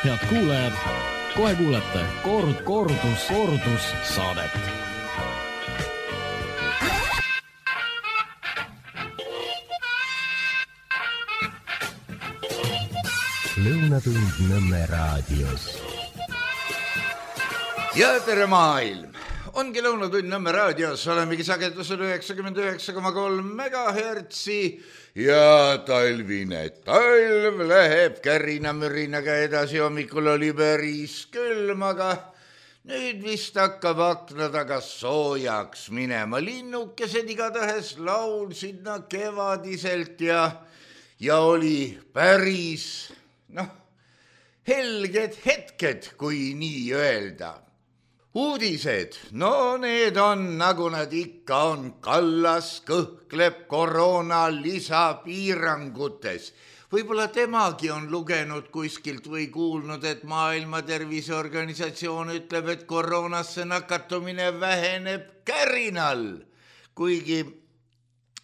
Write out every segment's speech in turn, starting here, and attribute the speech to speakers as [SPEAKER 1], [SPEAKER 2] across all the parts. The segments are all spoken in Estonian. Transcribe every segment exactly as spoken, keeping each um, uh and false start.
[SPEAKER 1] head kuulajad, kohe kuulete kord, kordus, kordus saadet.
[SPEAKER 2] Lõunatund Nõmme raadios.
[SPEAKER 3] Ja tere maailm! Ongi Lõunatund Nõmme raadios, olemegi sagedusel üheksakümmend üheksa koma kolm megahertsi ja talvine talv läheb kärina-mürinaga edasi. Hommikul oli päris külm, aga nüüd vist hakkab akna taga soojaks minema. Linnukesed igatahes laulsid nad kevadiselt ja, ja oli päris, noh, helged hetked, kui nii öelda. Uudised, no need on, nagu nad ikka on. Kallas kõhkleb koroona lisapiirangutes. Võib-olla temagi on lugenud kuskilt või kuulnud, et Maailma Terviseorganisatsioon ütleb, et koroonasse nakatumine väheneb kärinal. Kuigi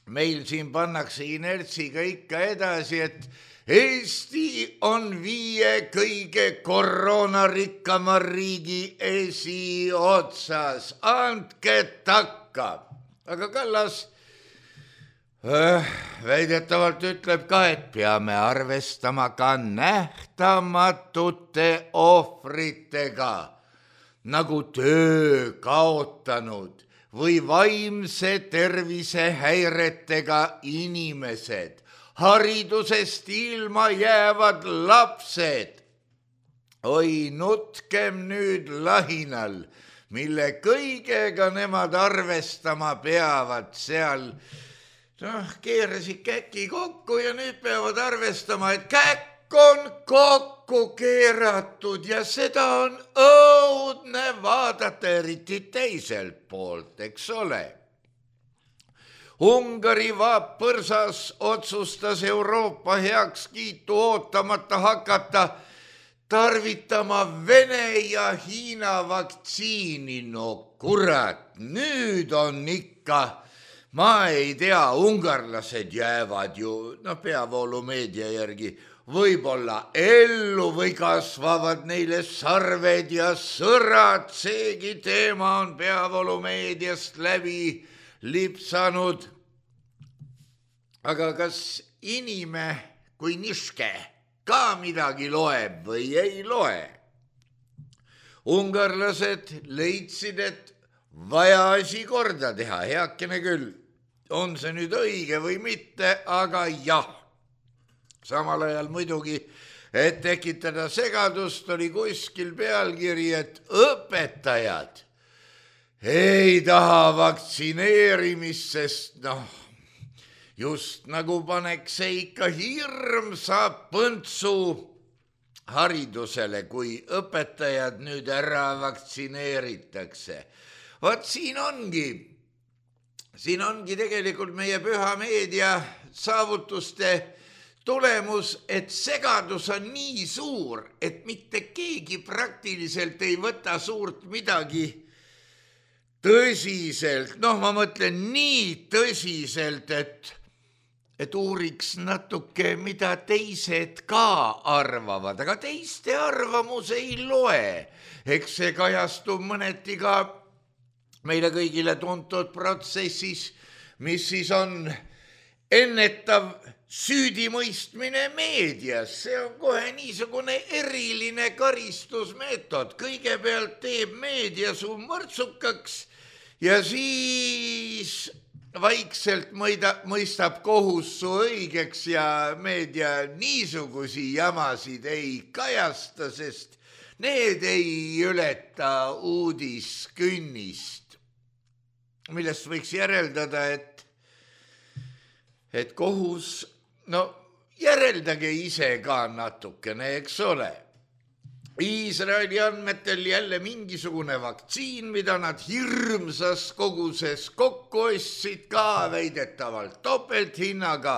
[SPEAKER 3] meil siin pannakse inertsiga ikka edasi, et Eesti on viie kõige koroonarikkama riigi esiotsas. Andke takka. Aga Kallas äh, väidetavalt ütleb ka, et peame arvestama ka nähtamatute ohvritega, nagu töö kaotanud või vaimse tervise häiretega inimesed. Haridusest ilma jäävad lapsed. Oi, nutkem nüüd lahinal, mille kõigega nemad arvestama peavad seal. Noh, keerasid käki kokku ja nüüd peavad arvestama, et käkk on kokku keeratud ja seda on õudne vaadata eriti teiselt poolt, eks ole. Ungari vaapõrsas otsustas Euroopa heakskiitu ootamata hakata tarvitama Vene ja Hiina vaktsiini. No kurat, nüüd on ikka, ma ei tea, ungarlased jäävad ju, no peavoolumeedia järgi, võib-olla ellu või kasvavad neile sarved ja sõrad. Seegi teema on peavoolumeediast läbi lipsanud. Aga kas inime kui niške ka midagi loeb või ei loe? Ungarlased leidsid, et vaja asi korda teha, heakene küll. On see nüüd õige või mitte, aga jah. Samal ajal muidugi, et tekitada segadust, oli kuskil pealkiri, et õpetajad ei taha vaktsineerimist, sest noh, just nagu paneks see ikka hirmsa põntsu haridusele, kui õpetajad nüüd ära vaktsineeritakse. Vaat siin ongi, siin ongi tegelikult meie püha meedia saavutuste tulemus, et segadus on nii suur, et mitte keegi praktiliselt ei võta suurt midagi tõsiselt. Noh, ma mõtlen nii tõsiselt, et, et uuriks natuke, mida teised ka arvavad, aga teiste arvamus ei loe. Eks see kajastub mõneti ka meile kõigile tuntud protsessis, mis siis on ennetav süüdimõistmine meedias. See on kohe niisugune eriline karistusmeetod. Kõigepealt teeb meedia su mõrtsukaks ja siis vaikselt mõida, mõistab kohus su õigeks ja meedia niisugusi jamasid ei kajasta, sest need ei ületa uudiskünnist, millest võiks järeldada, et, et kohus, no järeldage ise ka natukene, eks ole. Iisraeli andmetel jälle mingisugune vaktsiin, mida nad hirmsas koguses kokku ostsid, ka väidetavalt topelthinnaga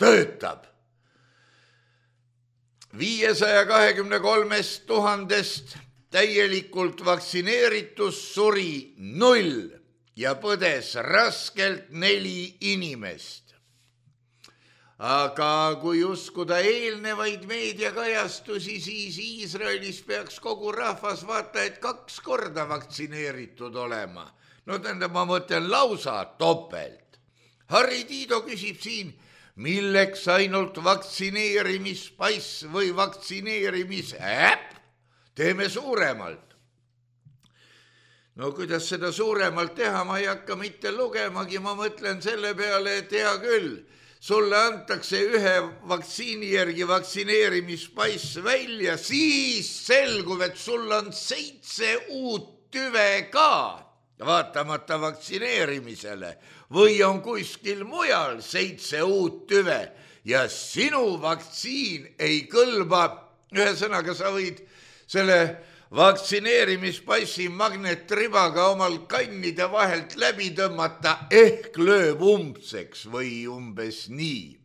[SPEAKER 3] töötab. viiesaja kahekümne kolmest tuhandest täielikult vaktsineeritus suri null ja põdes raskelt neli inimest. aga kui uskuda eelnevaid meediakajastusi, siis Iisraelis peaks kogu rahvas vaata, et kaks korda vaktsineeritud olema. No tähendab, ma mõtlen lausa topelt. Harri Tiido küsib siin, milleks ainult vaktsineerimispass või vaktsineerimisäpp? Teeme suuremalt. No kuidas seda suuremalt teha, ma ei hakka mitte lugemagi, ma mõtlen selle peale, et hea küll, sulle antakse ühe vaktsiini järgi vaktsineerimispass välja, siis selgub, et sul on seitse uut tüve ka, vaatamata vaktsineerimisele, või on kuskil mujal seitse uut tüve ja sinu vaktsiin ei kõlba. Ühesõnaga, sa võid selle vaktsineerimispassi magnetribaga omal kannide vahelt läbi tõmmata, ehk lööb umbseks või umbes nii.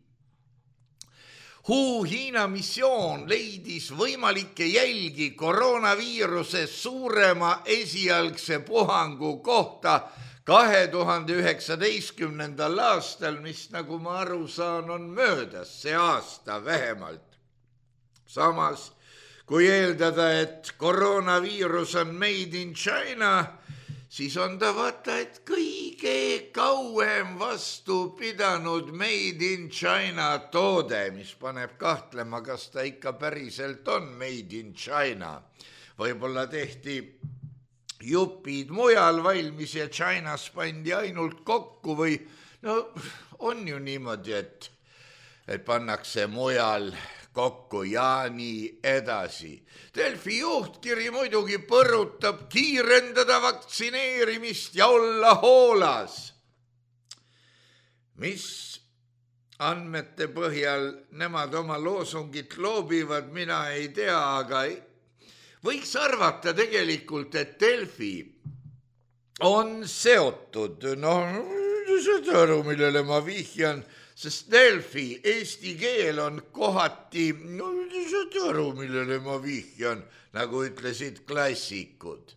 [SPEAKER 3] Hu Hiina missioon leidis võimalikke jälgi koroonaviiruse suurema esialgse puhangu kohta kahe tuhande üheksateistkümnendal aastal, mis nagu ma aru saan, on möödas see aasta vähemalt. Samas, kui eeldada, et koroonaviirus on made in China, siis on ta vaata, et kõige kauem vastu pidanud made in China toode, mis paneb kahtlema, kas ta ikka päriselt on made in China. Võib-olla tehti jupid mujal valmis ja Chinas pandi ainult kokku või no on ju niimoodi, et, et pannakse mujal kokku ja nii edasi. Delfi juhtkiri muidugi põrutab kiirendada vaktsineerimist ja olla hoolas. Mis andmete põhjal nemad oma loosungit loobivad, mina ei tea, aga võiks arvata tegelikult, et Delfi on seotud, noh, seda aru, millele ma vihjan, sest Delfi eesti keel on kohati, no seda aru, millele ma vihjan, nagu ütlesid klassikud.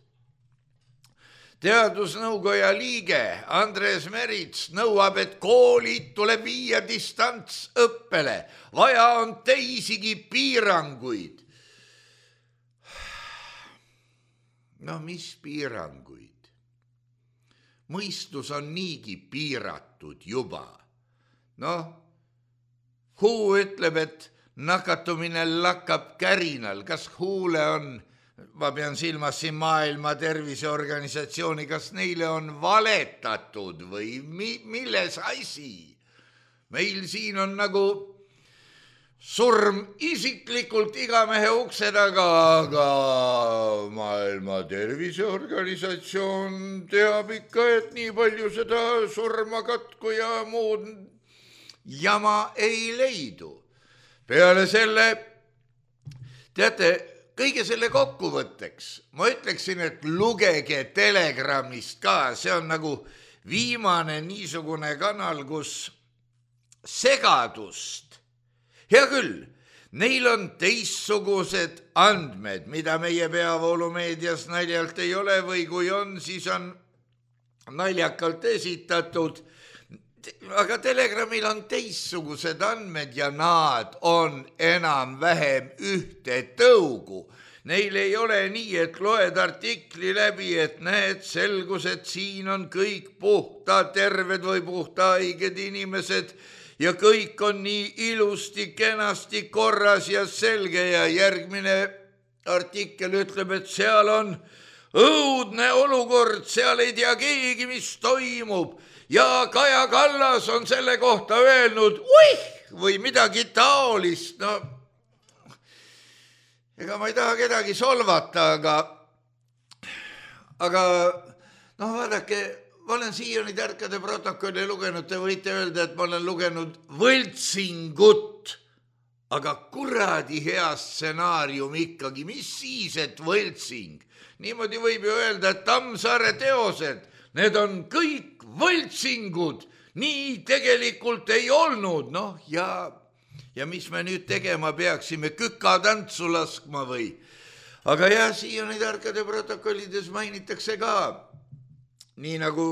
[SPEAKER 3] Teadusnõukoja liige Andres Merits nõuab, et koolid tuleb viia distantsõppele, vaja on teisigi piiranguid. No mis piiranguid? Mõistus on niigi piiratud juba. Noh, Hu ütleb, et nakatumine lakkab kärinal. Kas Huule on, ma pean silmas siin Maailma Terviseorganisatsiooni, kas neile on valetatud või mi, milles asi? Meil siin on nagu surm isiklikult iga mehe ukse taga, aga Maailma Terviseorganisatsioon teab ikka, et nii palju seda surma katku ja muud jama ei leidu. Peale selle, teate, kõige selle kokkuvõtteks, ma ütleksin, et lugege Telegramist ka, see on nagu viimane niisugune kanal, kus segadust. Hea küll, neil on teistsugused andmed, mida meie peavoolumeedias naljalt ei ole või kui on, siis on naljakalt esitatud. Aga Telegramil on teistsugused andmed ja nad on enam-vähem ühte tõugu. Neil ei ole nii, et loed artikli läbi, et näed, selgus, et siin on kõik puhta terved või puhta haiged inimesed ja kõik on nii ilusti, kenasti korras ja selge ja järgmine artikkel ütleb, et seal on õudne olukord, seal ei tea keegi, mis toimub. Ja Kaja Kallas on selle kohta öelnud, uih, või midagi taolist. No, ega ma ei taha kedagi solvata, aga, aga noh, vaadake, ma olen siiani tarkade protokolli lugenud, te võite öelda, et ma olen lugenud võltsingut, aga kuradi hea stsenaarium ikkagi, mis siis, et võltsing? Niimoodi võib ju öelda, et Tammsaare teosed, need on kõik võltsingud, nii tegelikult ei olnud, noh, ja, ja mis me nüüd tegema peaksime, kükatantsu laskma või? Aga jah, siiani tarkade protokollides mainitakse ka, nii nagu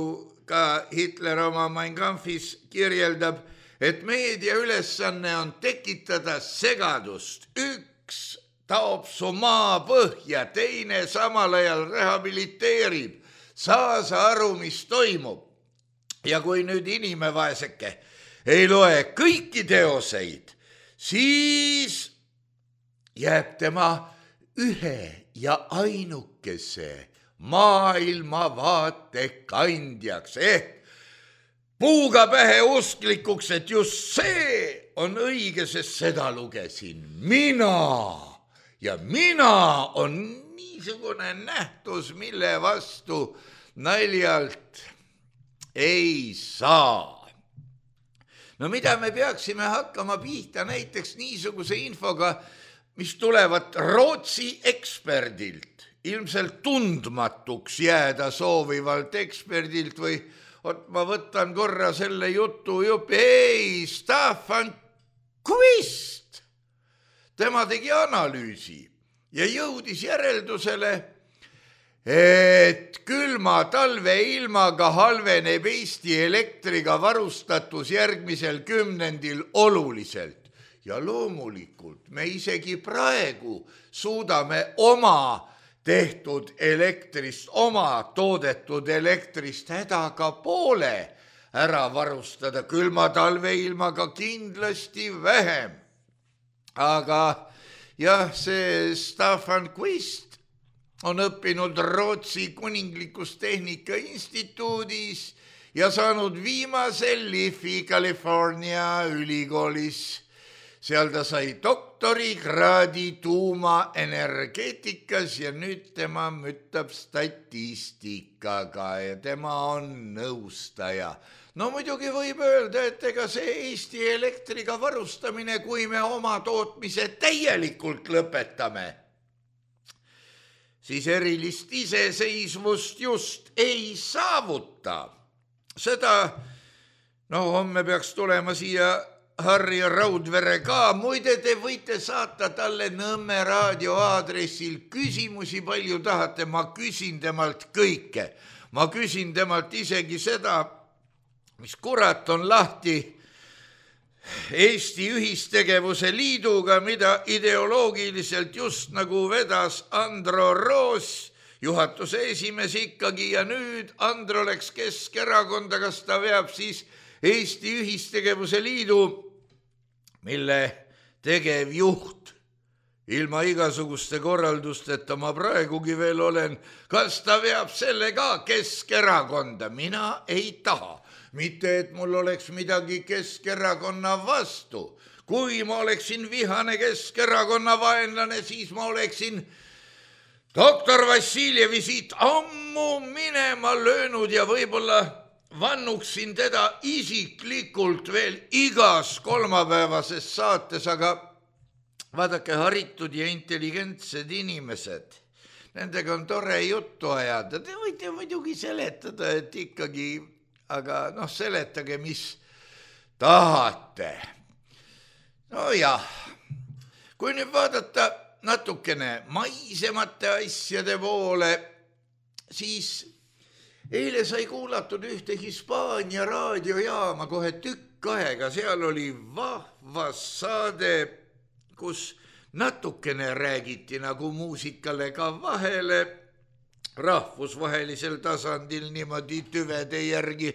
[SPEAKER 3] ka Hitler oma Mein Kampfis kirjeldab, et meedia ülesanne on tekitada segadust. Üks taob su maa põhja, teine samal ajal rehabiliteerib. Saa sa aru, mis toimub. Ja kui nüüd inimevaeseke ei loe kõiki teoseid, siis jääb tema ühe ja ainukese maailmavaate kandjaks ehk puuga pähe usklikuks, et just see on õige, sest seda lugesin mina ja mina on niisugune nähtus, mille vastu naljalt ei saa. No mida me peaksime hakkama pihta näiteks niisuguse infoga, mis tulevad Rootsi eksperdilt, ilmselt tundmatuks jääda soovivalt eksperdilt või ot, ma võtan korra selle jutu jupi, ei, Staffan Quist. Tema tegi analüüsi ja jõudis järeldusele, et külma talve ilmaga halveneb Eesti elektriga varustatus järgmisel kümnendil oluliselt. Ja loomulikult me isegi praegu suudame oma tehtud elektrist, oma toodetud elektrist hädaga poole ära varustada, külma talve ilmaga kindlasti vähem. Aga jah, see Staffan Quist on õppinud Rootsi kuninglikus tehnika instituudis ja saanud viimase Liffey California ülikoolis. Seal ta sai doktorikraadi tuumaenergeetikas ja nüüd tema mütab statistikaga ja tema on nõustaja. No muidugi võib öelda, et ega see Eesti elektriga varustamine, kui me oma tootmise täielikult lõpetame, siis erilist iseseisvust just ei saavuta. Seda, no homme peaks tulema siia Harri Raudvere ka, muide te võite saata talle Nõmme raadio aadressil küsimusi, palju tahate, ma küsin temalt kõike. Ma küsin temalt isegi seda, mis kurat on lahti Eesti Ühistegevuse Liiduga, mida ideoloogiliselt just nagu vedas Andro Roos, juhatuse esimees ikkagi, ja nüüd Andro läks Keskerakonda, kas ta veab siis Eesti Ühistegevuse Liidu, mille tegevjuht ilma igasuguste korraldusteta ma praegugi veel olen, kas ta veab selle ka Keskerakonda? Mina ei taha. Mitte, et mul oleks midagi Keskerakonna vastu. Kui ma oleksin vihane Keskerakonna vaenlane, siis ma oleksin doktor Vassiljevi siit ammu minema löönud ja võib-olla vannuksin teda isiklikult veel igas kolmapäevases saates, aga vaadake, haritud ja intelligentsed inimesed, nendega on tore juttu ajada. Te võite muidugi seletada, et ikkagi, aga noh, seletage, mis tahate. No jah, kui nüüd vaadata natukene maisemate asjade poole, siis eile sai kuulatud ühte Hispaania raadiojaama kohe tükk aega, seal oli vahvas saade, kus natukene räägiti nagu muusikale ka vahele, rahvusvahelisel tasandil niimoodi tüvede järgi,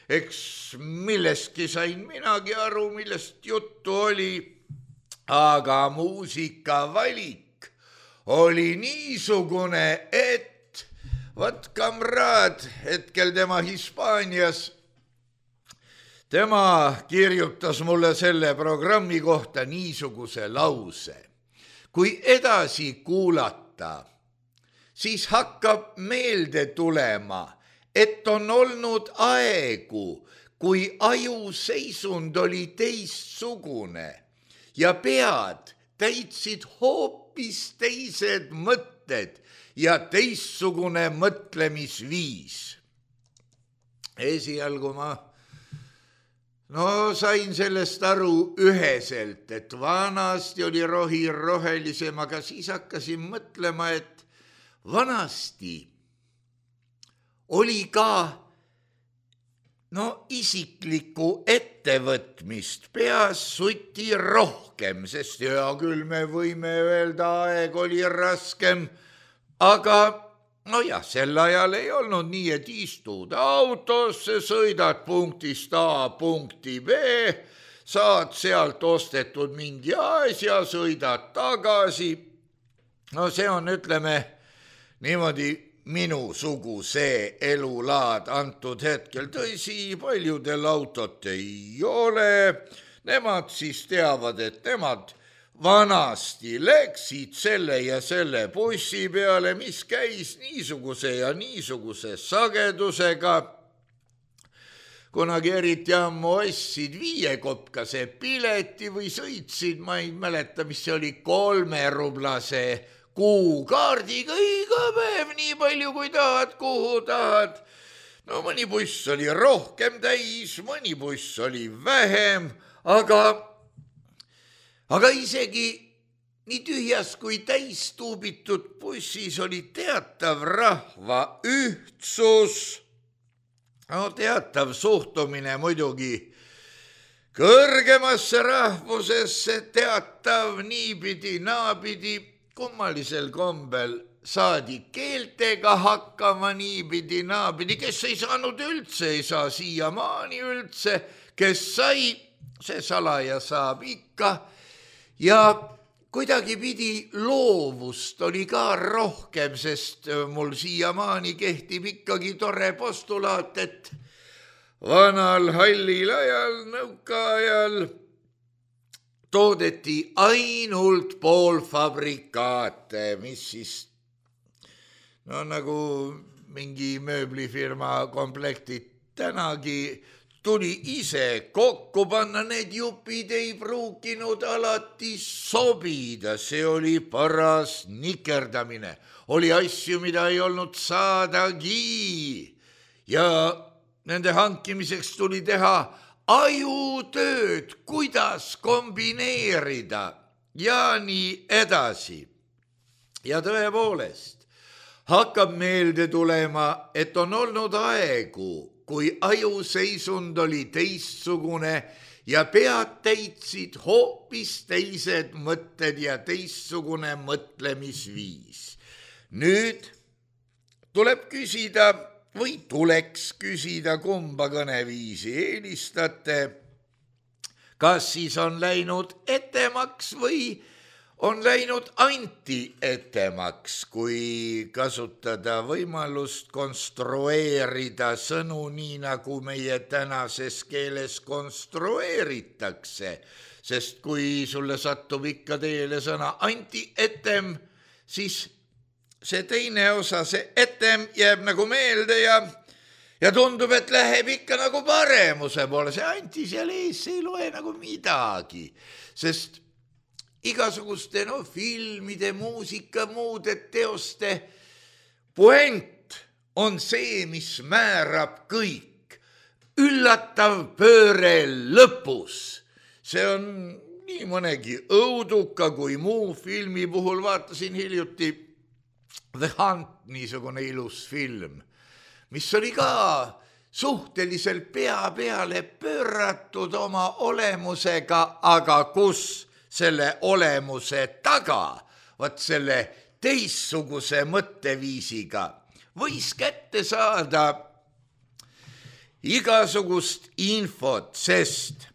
[SPEAKER 3] eks millestki sain minagi aru, millest juttu oli, aga muusikavalik oli niisugune, et Vat kamraad, hetkel tema Hispaanias, tema kirjutas mulle selle programmi kohta niisuguse lause. Kui edasi kuulata, siis hakkab meelde tulema, et on olnud aegu, kui aju seisund oli teistsugune ja pead täitsid hoopis teised mõtted ja teistsugune mõtlemisviis. Esialgu ma no sain sellest aru üheselt, et vanasti oli rohi rohelisem, aga siis hakkasin mõtlema, et vanasti oli ka no isiklikku ettevõtmist peas suti rohkem, sest hea küll me võime öelda, aeg oli raskem, aga nojah, sel ajal ei olnud nii, et istud autosse, sõidad punktist A punkti B, saad sealt ostetud mingi asja, sõidad tagasi. No see on, ütleme, niimoodi minusuguse elulaad antud hetkel. Tõsi, paljudel autot ei ole. Nemad siis teavad, et nemad vanasti läksid selle ja selle bussi peale, mis käis niisuguse ja niisuguse sagedusega. Kunagi eriti ammu ostsid viiekopkase pileti või sõitsid, ma ei mäleta, mis see oli, kolmerublase kuukaardiga iga päev nii palju kui tahad, kuhu tahad. No mõni buss oli rohkem täis, mõni buss oli vähem, aga, aga isegi nii tühjas kui täis tuubitud bussis oli teatav rahva ühtsus, no teatav suhtumine muidugi kõrgemasse rahvusesse, teatav niipidi, naapidi. Kummalisel kombel saadi keeltega hakkama niipidi, naapidi, kes ei saanud üldse, ei saa siiamaani üldse, kes sai, see salaja saab ikka. Ja kuidagi pidi loovust oli ka rohkem, sest mul siiamaani kehtib ikkagi tore postulaat, et vanal hallil ajal, nõuka ajal toodeti ainult poolfabrikaate, mis siis no nagu mingi mööblifirma komplektid tänagi tuli ise kokku panna, need jupid ei pruukinud alati sobida, see oli paras nikerdamine, oli asju, mida ei olnud saadagi ja nende hankimiseks tuli teha ajutööd, kuidas kombineerida ja nii edasi. Ja tõepoolest hakkab meelde tulema, et on olnud aegu, kui ajuseisund oli teistsugune ja pead täitsid hoopis teised mõtted ja teistsugune mõtlemisviis. Nüüd tuleb küsida, või tuleks küsida, kumba kõneviisi eelistate, kas siis on läinud etemaks või on läinud anti-etemaks, kui kasutada võimalust konstrueerida sõnu nii, nagu meie tänases keeles konstrueeritakse, sest kui sulle satub ikka teele sõna anti-etem, siis see teine osa, see etem jääb nagu meelde ja, ja tundub, et läheb ikka nagu paremuse poole. See anti seal ees, see ei loe nagu midagi, sest igasuguste no, filmide, muusika, muude teoste puent on see, mis määrab kõik. Üllatav pööre lõpus. See on nii mõnegi õuduka kui muu filmi puhul. Vaatasin hiljuti The Hunt, niisugune ilus film, mis oli ka suhteliselt pea peale pööratud oma olemusega, aga kus selle olemuse taga, vaat selle teistsuguse mõtteviisiga võis kätte saada igasugust infot, sest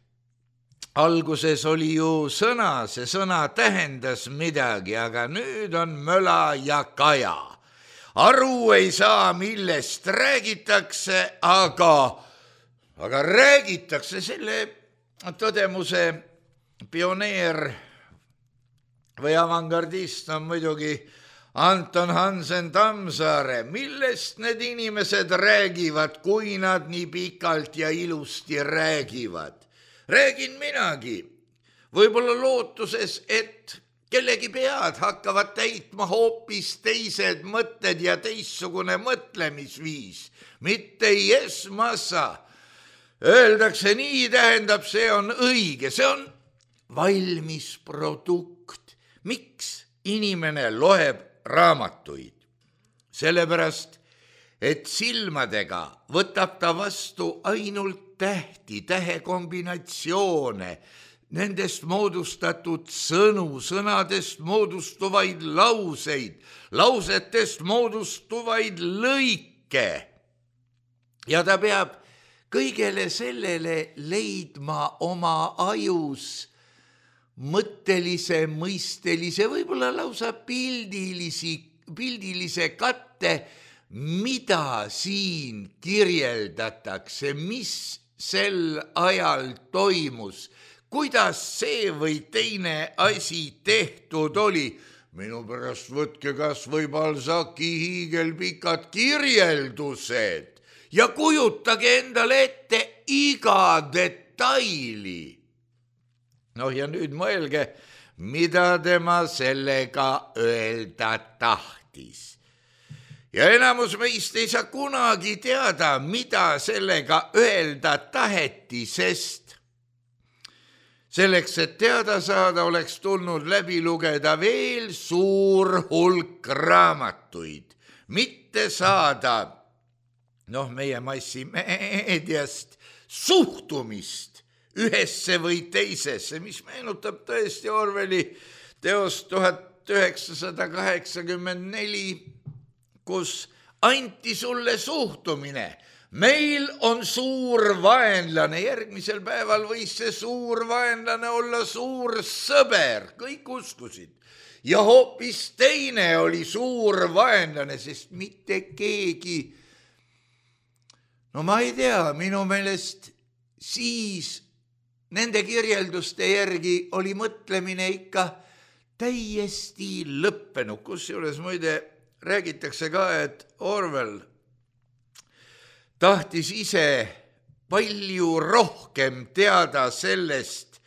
[SPEAKER 3] alguses oli ju sõna, see sõna tähendas midagi, aga nüüd on möla ja kaja. Aru ei saa, millest räägitakse, aga, aga räägitakse selle tõdemuse pioneer või avangardist on muidugi Anton Hansen Tammsaare. Millest need inimesed räägivad, kui nad nii pikalt ja ilusti räägivad? Räägin minagi, võib-olla lootuses, et kellegi pead hakkavad täitma hoopis teised mõtted ja teistsugune mõtlemisviis, mitte yes massa. Öeldakse nii, tähendab, see on õige, see on valmis produkt. Miks inimene loeb raamatuid? Sellepärast, et silmadega võtab ta vastu ainult tähti, tähekombinatsioone, nendest moodustatud sõnu, sõnadest moodustuvaid lauseid, lausetest moodustuvaid lõike. Ja ta peab kõigele sellele leidma oma ajus mõttelise, mõistelise, võib-olla lausa pildilisi, pildilise katte, mida siin kirjeldatakse, mis sel ajal toimus, kuidas see või teine asi tehtud oli. Minu pärast võtke kas või Balzaci hiigelpikad kirjeldused ja kujutage endale ette iga detaili. Noh ja nüüd mõelge, mida tema sellega öelda tahtis. Ja enamus meist ei saa kunagi teada, mida sellega öelda taheti, sest selleks, et teada saada, oleks tulnud läbi lugeda veel suur hulk raamatuid, mitte saada, noh, meie massimeediast suhtumist ühesse või teisesse, mis meenutab tõesti Orwelli teost tuhat üheksasada kaheksakümmend neli, kus anti sulle suhtumine. Meil on suur vaenlane, järgmisel päeval võis see suur vaenlane olla suur sõber, kõik uskusid. Ja hoopis teine oli suur vaenlane, sest mitte keegi, no ma ei tea, minu meelest siis nende kirjelduste järgi oli mõtlemine ikka täiesti lõppenud, kusjuures muide räägitakse ka, et Orwell tahtis ise palju rohkem teada sellest,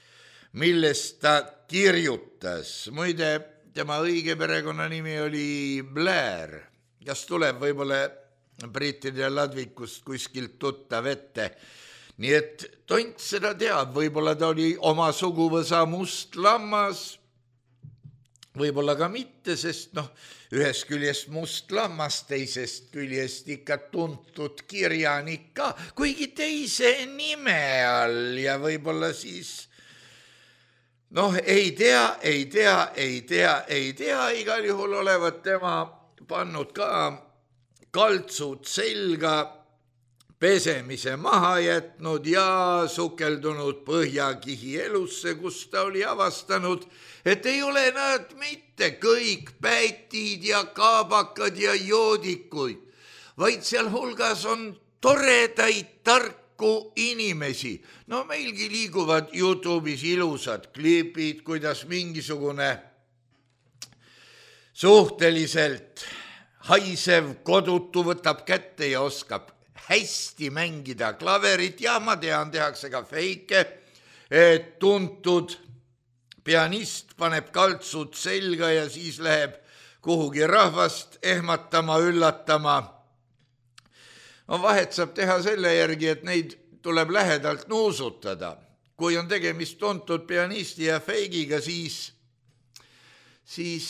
[SPEAKER 3] millest ta kirjutas. Muide, tema õige perekonnanimi oli Blair, kas tuleb võib-olla brittide ladvikust kuskilt tuttav ette. Nii et tont seda teab, võib-olla ta oli oma suguvõsa must lammas, võib-olla ka mitte, sest noh, ühest küljest must lammas, teisest küljest ikka tuntud kirjanik ka, kuigi teise nime all ja võib-olla siis, noh, ei tea, ei tea, ei tea, ei tea, igal juhul olevat tema pannud ka kaltsud selga, pesemise maha jätnud ja sukeldunud Põhjakihi elusse, kus ta oli avastanud, et ei ole nad mitte kõik pätid ja kaabakad ja joodikuid, vaid seal hulgas on toredaid tarku inimesi. No meilgi liiguvad YouTube'is ilusad klipid, kuidas mingisugune suhteliselt haisev kodutu võtab kätte ja oskab hästi mängida klaverit ja ma tean, tehakse ka feike, et tuntud pianist paneb kaltsud selga ja siis läheb kuhugi rahvast ehmatama, üllatama. No vahet saab teha selle järgi, et neid tuleb lähedalt nuusutada. Kui on tegemist tuntud pianisti ja feigiga, siis, siis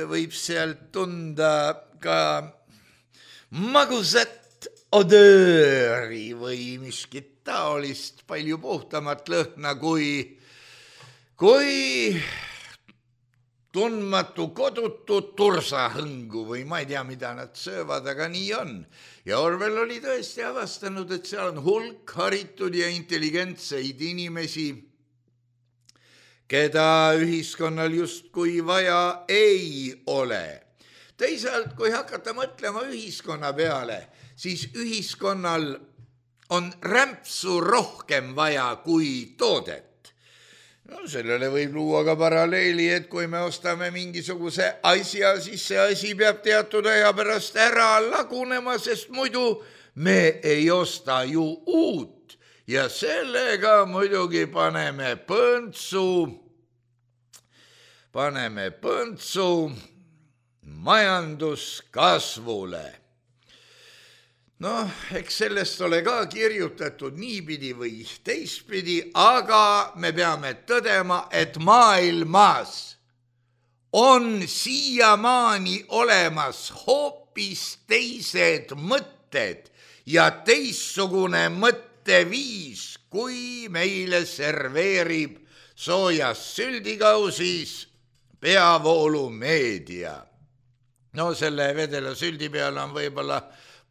[SPEAKER 3] võib sealt tunda ka magusat odööri või miskit taolist palju puhtamat lõhna kui, kui tundmatu kodutu tursahõngu või ma ei tea, mida nad söövad, aga nii on. Ja Orwell oli tõesti avastanud, et seal on hulk haritud ja intelligentseid inimesi, keda ühiskonnal justkui vaja ei ole. Teisalt, kui hakata mõtlema ühiskonna peale, siis ühiskonnal on rämpsu rohkem vaja kui toodet. No sellele võib luua ka paralleeli, et kui me ostame mingisuguse asja, siis see asi peab teatud aja pärast ära lagunema, sest muidu me ei osta ju uut. Ja sellega muidugi paneme põntsu, paneme põntsu majanduskasvule. Noh, eks sellest ole ka kirjutatud niipidi või teistpidi, aga me peame tõdema, et maailmas on siiamaani olemas hoopis teised mõtted, mõtted ja teistsugune mõtteviis, kui meile serveerib soojas süldikausis peavoolumeedia. No selle vedela süldi peale on võib-olla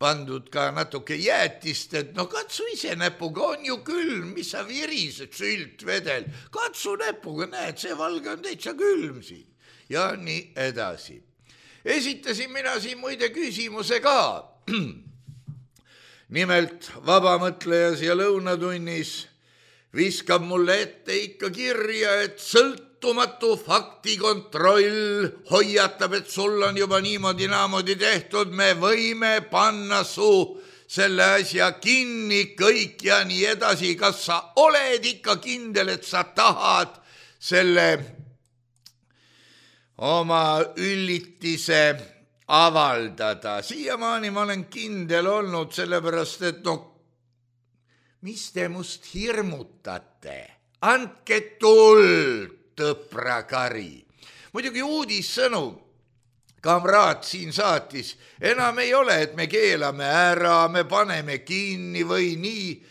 [SPEAKER 3] pandud ka natuke jäätist, et no katsu ise näpuga, on ju külm, mis sa virised, sült vedel, katsu näpuga, näed, see valge on täitsa külm siin ja nii edasi. Esitasin mina siin muide küsimuse ka. Nimelt vabamõtleja siia lõunatunnis viskab mulle ette ikka kirja, et sõltumatu faktikontroll hoiatab, et sul on juba niimoodi naamodi tehtud, me võime panna su selle asja kinni kõik ja nii edasi. Kas sa oled ikka kindel, et sa tahad selle oma üllitise avaldada? Siiamaani ma olen kindel olnud, sellepärast et no mis te must hirmutate? Andke tuld, tõprakari. Muidugi uudissõnu kamraad siin saatis. Enam ei ole, et me keelame ära, me paneme kinni või nii.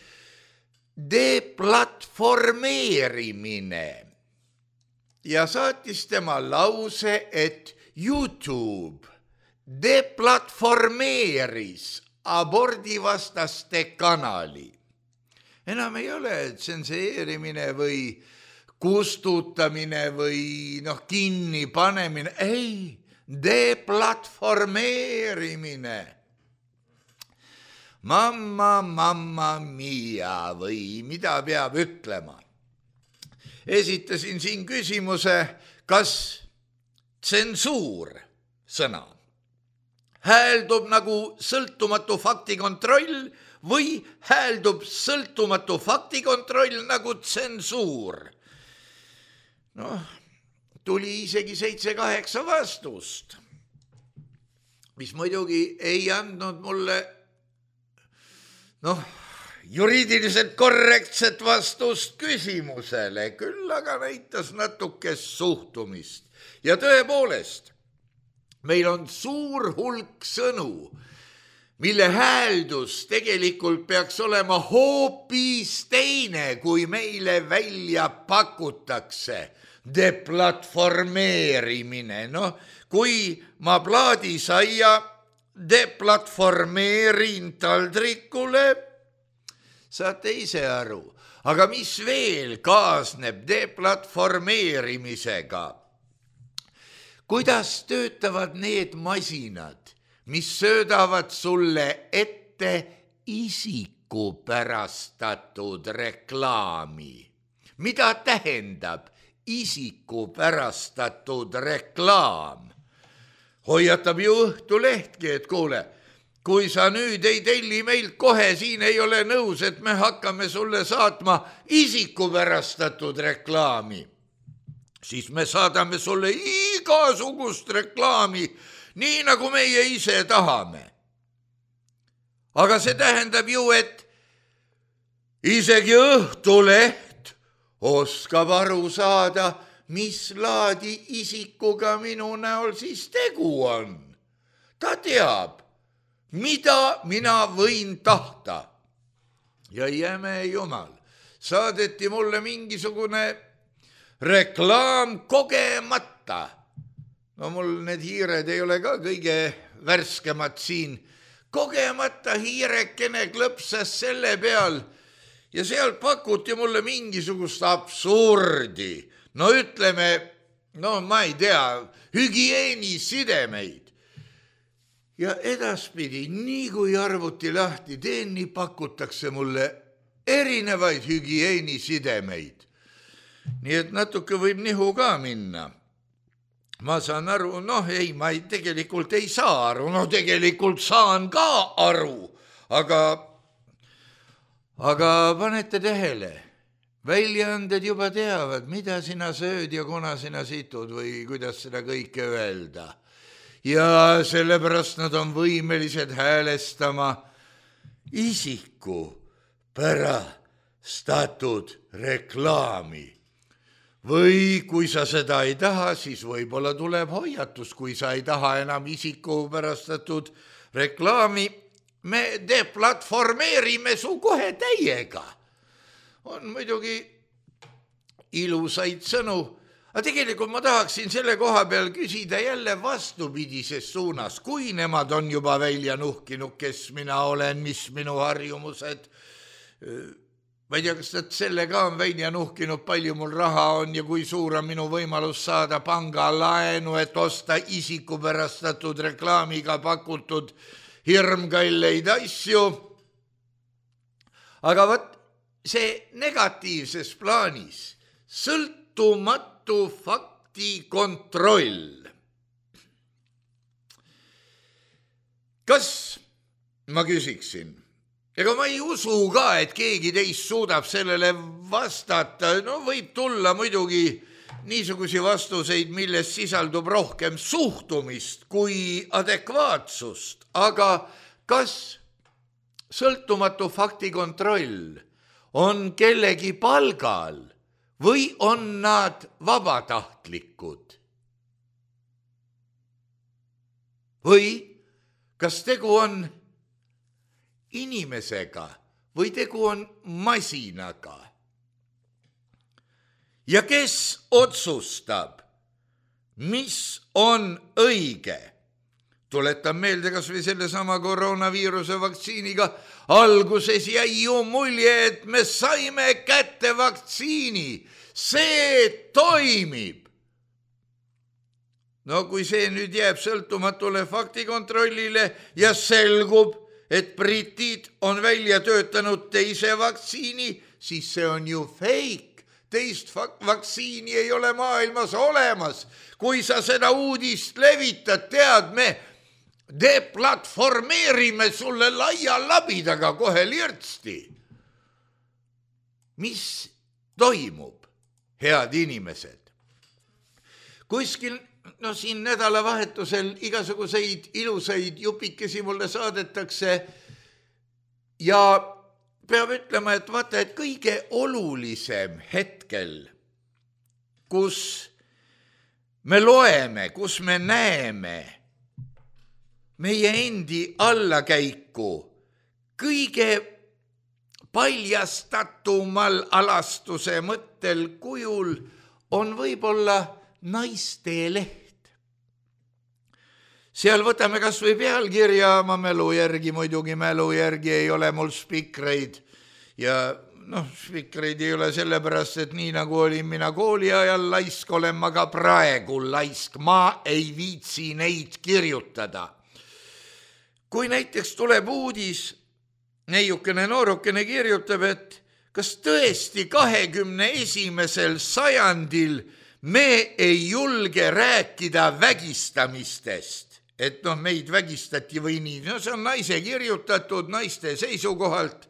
[SPEAKER 3] Deplatformeerimine. Ja saatis tema lause, et YouTube deplatformeeris abordivastaste kanali. Enam ei ole tsenseerimine või kustutamine või noh, kinni panemine. Ei, deplatformeerimine. Mamma, mamma mia või mida peab ütlema. Esitasin siin küsimuse, kas tsensuur sõna hääldub nagu sõltumatu faktikontroll või hääldub sõltumatu faktikontroll nagu tsensuur. Noh, tuli isegi seitse-kaheksa vastust, mis muidugi ei andnud mulle noh, juriidiliselt korrektset vastust küsimusele, küll aga näitas natuke suhtumist. Ja tõepoolest, meil on suur hulk sõnu, mille hääldus tegelikult peaks olema hoopis teine, kui meile välja pakutakse. Deplatformeerimine. No, kui ma plaadisaia deplatformeerin taldrikule, saate ise aru. Aga mis veel kaasneb deplatformeerimisega? Kuidas töötavad need masinad, mis söödavad sulle ette isikupärastatud reklaami? Mida tähendab isikupärastatud reklaam? Hoiatab ju Õhtulehtki, et kuule, kui sa nüüd ei telli meilt kohe, siin ei ole nõus, et me hakkame sulle saatma isikupärastatud reklaami, siis me saadame sulle igasugust reklaami, nii nagu meie ise tahame. Aga see tähendab ju, et isegi Õhtuleht oskab aru saada, mis laadi isikuga minu näol siis tegu on. Ta teab, mida mina võin tahta. Ja jäme jumal, saadeti mulle mingisugune reklaam kogemata. No mul need hiired ei ole ka kõige värskemad siin. Kogemata hiirekene klõpsas selle peal ja seal pakuti mulle mingisugust absurdi. No ütleme, no ma ei tea, hügieenisidemeid. Ja edaspidi, nii kui arvuti lahti teen, nii pakutakse mulle erinevaid hügieenisidemeid. Nii et natuke võib nihu ka minna. Ma saan aru, noh ei, ma ei, tegelikult ei saa aru, no tegelikult saan ka aru, aga, aga panete tähele, väljaanded juba teavad, mida sina sööd ja kuna sina situd või kuidas seda kõike öelda. Ja sellepärast nad on võimelised häälestama isiku pärastatud reklaami. Või kui sa seda ei taha, siis võib-olla tuleb hoiatus, kui sa ei taha enam isiku pärastatud reklaami, me deplatformeerime su kohe täiega. On muidugi ilusaid sõnu, aga tegelikult ma tahaksin selle koha peal küsida jälle vastupidises suunas, kui nemad on juba välja nuhkinud, kes mina olen, mis minu harjumused. Ma ei tea, kas nad selle ka on välja nuhkinud, palju mul raha on ja kui suur on minu võimalus saada panga laenu, et osta isikupärastatud reklaamiga pakutud hirmkalleid asju. Aga võt, see negatiivses plaanis, sõltumatu fakti kontroll. Kas, ma küsiksin, ega ma ei usu ka, et keegi teist suudab sellele vastata. No võib tulla muidugi niisugusi vastuseid, milles sisaldub rohkem suhtumist kui adekvaatsust. Aga kas sõltumatu faktikontroll on kellegi palgal või on nad vabatahtlikud? Või kas tegu on inimesega või tegu on masinaga? Ja kes otsustab, mis on õige? Tuletan meelde kas või selle sama koroonaviiruse vaktsiiniga. Alguses jäi ju mulje, et me saime kätte vaktsiini. See toimib. No kui see nüüd jääb sõltumatule faktikontrollile ja selgub, et britid on välja töötanud teise vaktsiini, siis see on ju fake. Teist vaktsiini ei ole maailmas olemas. Kui sa seda uudist levitad, tead me, deplatformeerime sulle laia labidaga kohe lirtsti. Mis toimub, head inimesed? Kuskil no siin nädalavahetusel igasuguseid ilusaid jupikesi mulle saadetakse ja peab ütlema, et vaata, et kõige olulisem hetkel, kus me loeme, kus me näeme meie endi allakäiku kõige paljastatumal alastuse mõttel kujul on võib-olla naiste leht. Seal võtame kas või pealkirja, ma mälu järgi, muidugi mälu järgi ei ole mul spikreid ja noh, spikreid ei ole sellepärast, et nii nagu olin mina kooli ajal laisk, olen ma ka praegu laisk, ma ei viitsi neid kirjutada. Kui näiteks tuleb uudis, neiukene noorukene kirjutab, et kas tõesti kahekümne esimesel sajandil me ei julge rääkida vägistamistest, et noh, meid vägistati või nii. No see on naise kirjutatud naiste seisukohalt.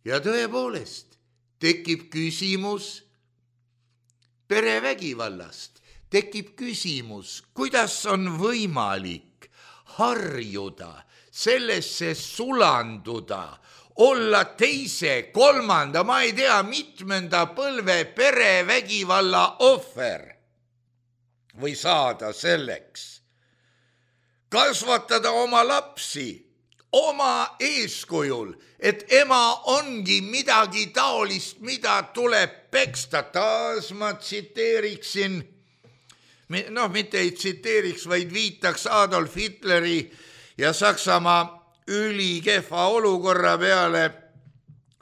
[SPEAKER 3] Ja tõepoolest tekib küsimus perevägivallast. Tekib küsimus, kuidas on võimalik harjuda, sellesse sulanduda, olla teise, kolmanda, ma ei tea, mitmenda põlve perevägivalla ohver või saada selleks. Kasvatada oma lapsi oma eeskujul, et ema ongi midagi taolist, mida tuleb peksta. Taas ma tsiteeriksin, noh, mitte ei tsiteeriks, vaid viitaks Adolf Hitleri ja Saksamaa ülikehva olukorra peale,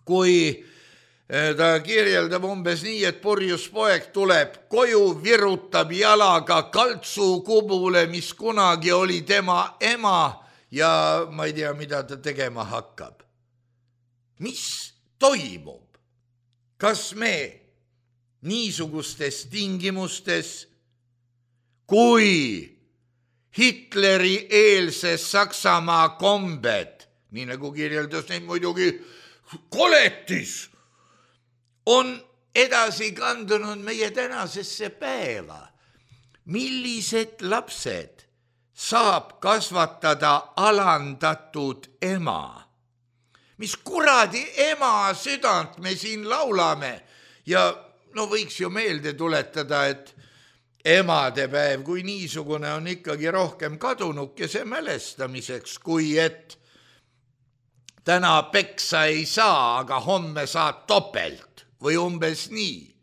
[SPEAKER 3] kui ta kirjeldab umbes nii, et purjus poeg tuleb koju, virutab jalaga kaltsukubule, mis kunagi oli tema ema ja ma ei tea, mida ta tegema hakkab. Mis toimub? Kas me niisugustes tingimustes, kui Hitleri eelses Saksamaa kombed, nii nagu kirjeldas neid muidugi koletis, on edasi kandunud meie tänasesse päeva. Millised lapsed saab kasvatada alandatud ema? Mis kuradi ema südant me siin laulame? Ja no võiks ju meelde tuletada, et emadepäev kui niisugune on ikkagi rohkem kadunukese mälestamiseks, kui et täna peksa ei saa, aga homme saad topelt või umbes nii.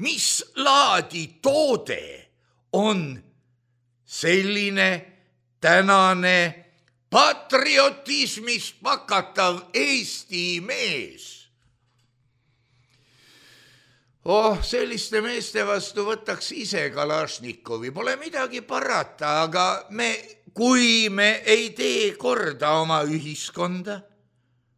[SPEAKER 3] Mis laadi toode on selline tänane patriotismist pakatav Eesti mees? Oh, selliste meeste vastu võtaks ise Kalašnikovi, pole midagi parata, aga me, kui me ei tee korda oma ühiskonda,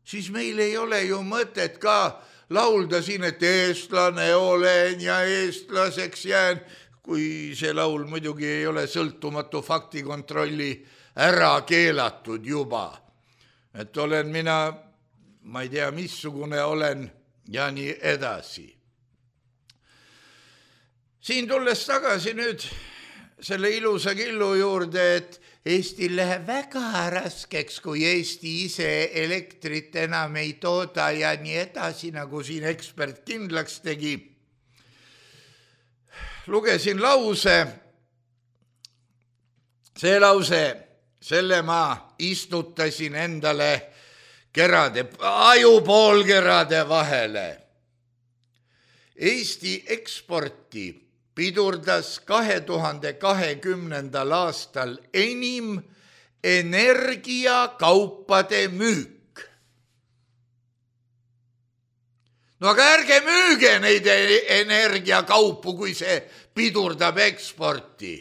[SPEAKER 3] siis meil ei ole ju mõtet ka laulda siin, et eestlane olen ja eestlaseks jään, kui see laul muidugi ei ole sõltumatu faktikontrolli ära keelatud juba. Et olen mina, ma ei tea, missugune olen ja nii edasi. Siin tulles tagasi nüüd selle ilusa killu juurde, et Eestil läheb väga raskeks, kui Eesti ise elektrit enam ei tooda ja nii edasi, nagu siin ekspert kindlaks tegi. Lugesin lause, see lause, selle ma istutasin endale kerade, ajupoolkerade vahele. Eesti eksporti pidurdas kahe tuhande kahekümnendal aastal enim energiakaupade müük. No aga ärge müüge neid energiakaupu, kui see pidurdab eksporti.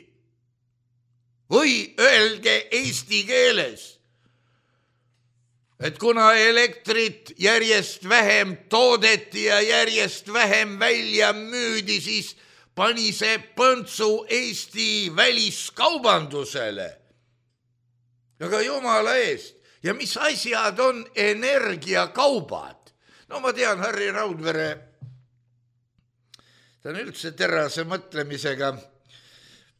[SPEAKER 3] Või öelge eesti keeles, et kuna elektrit järjest vähem toodeti ja järjest vähem välja müüdi, siis pani see põntsu Eesti väliskaubandusele. Aga jumala eest, ja mis asjad on energiakaubad? No ma tean, Harri Raudvere, ta on üldse terase mõtlemisega,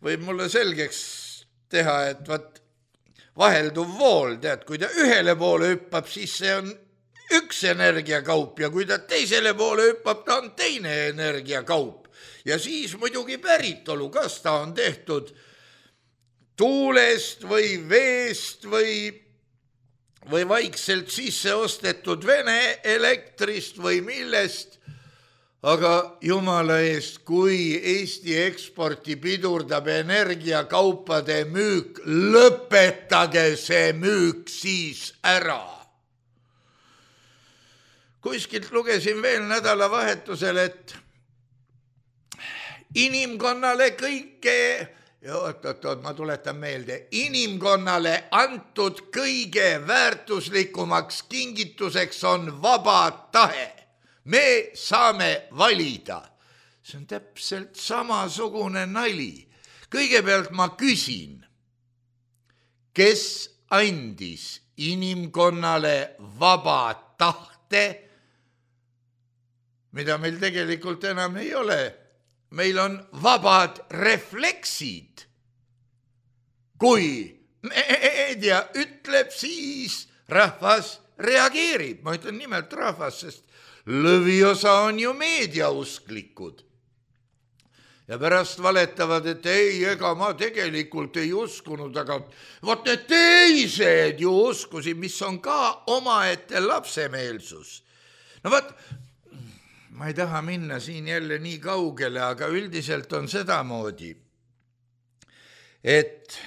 [SPEAKER 3] võib mulle selgeks teha, et vaat vahelduv vool, tead, kui ta ühele poole hüppab, siis see on üks energiakaup ja kui ta teisele poole hüppab, ta on teine energiakaup. Ja siis muidugi päritolu, kas ta on tehtud tuulest või veest või, või vaikselt sisse ostetud Vene elektrist või millest. Aga jumala eest, kui Eesti eksporti pidurdab energiakaupade müük, lõpetage see müük siis ära. Kuskilt lugesin veel nädalavahetusel, et inimkonnale kõike, oot, oot, oot, ma tuletan meelde, inimkonnale antud kõige väärtuslikumaks kingituseks on vaba tahe. Me saame valida. See on täpselt samasugune nali. Kõigepealt ma küsin, kes andis inimkonnale vaba tahte, mida meil tegelikult enam ei ole. Meil on vabad refleksid. Kui meedia ütleb, siis rahvas reageerib. Ma ütlen nimelt rahvas, sest lõviosa on ju meediausklikud. Ja pärast valetavad, et ei, ega ma tegelikult ei uskunud, aga vot need teised ju uskusid, mis on ka omaette lapsemeelsus. No vot, ma ei taha minna siin jälle nii kaugele, aga üldiselt on sedamoodi, et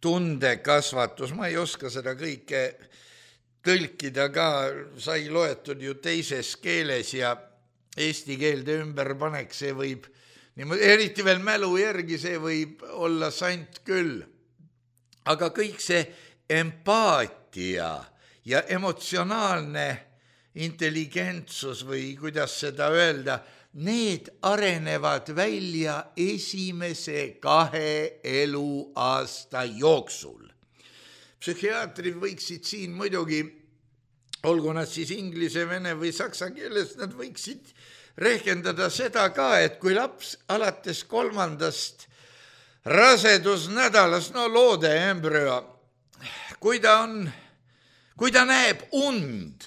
[SPEAKER 3] tundekasvatus, ma ei oska seda kõike tõlkida ka, sai loetud ju teises keeles ja eesti keelde ümberpanek, see võib, eriti veel mälu järgi, see võib olla sant küll. Aga kõik see empaatia ja emotsionaalne intelligentsus või kuidas seda öelda, need arenevad välja esimese kahe eluaasta jooksul. Psühhiaatrid võiksid siin muidugi, olgu nad siis inglise, vene või saksa keeles, nad võiksid rehkendada seda ka, et kui laps alates kolmandast rasedusnädalas, no loode embrüo, kui ta on, kui ta näeb und,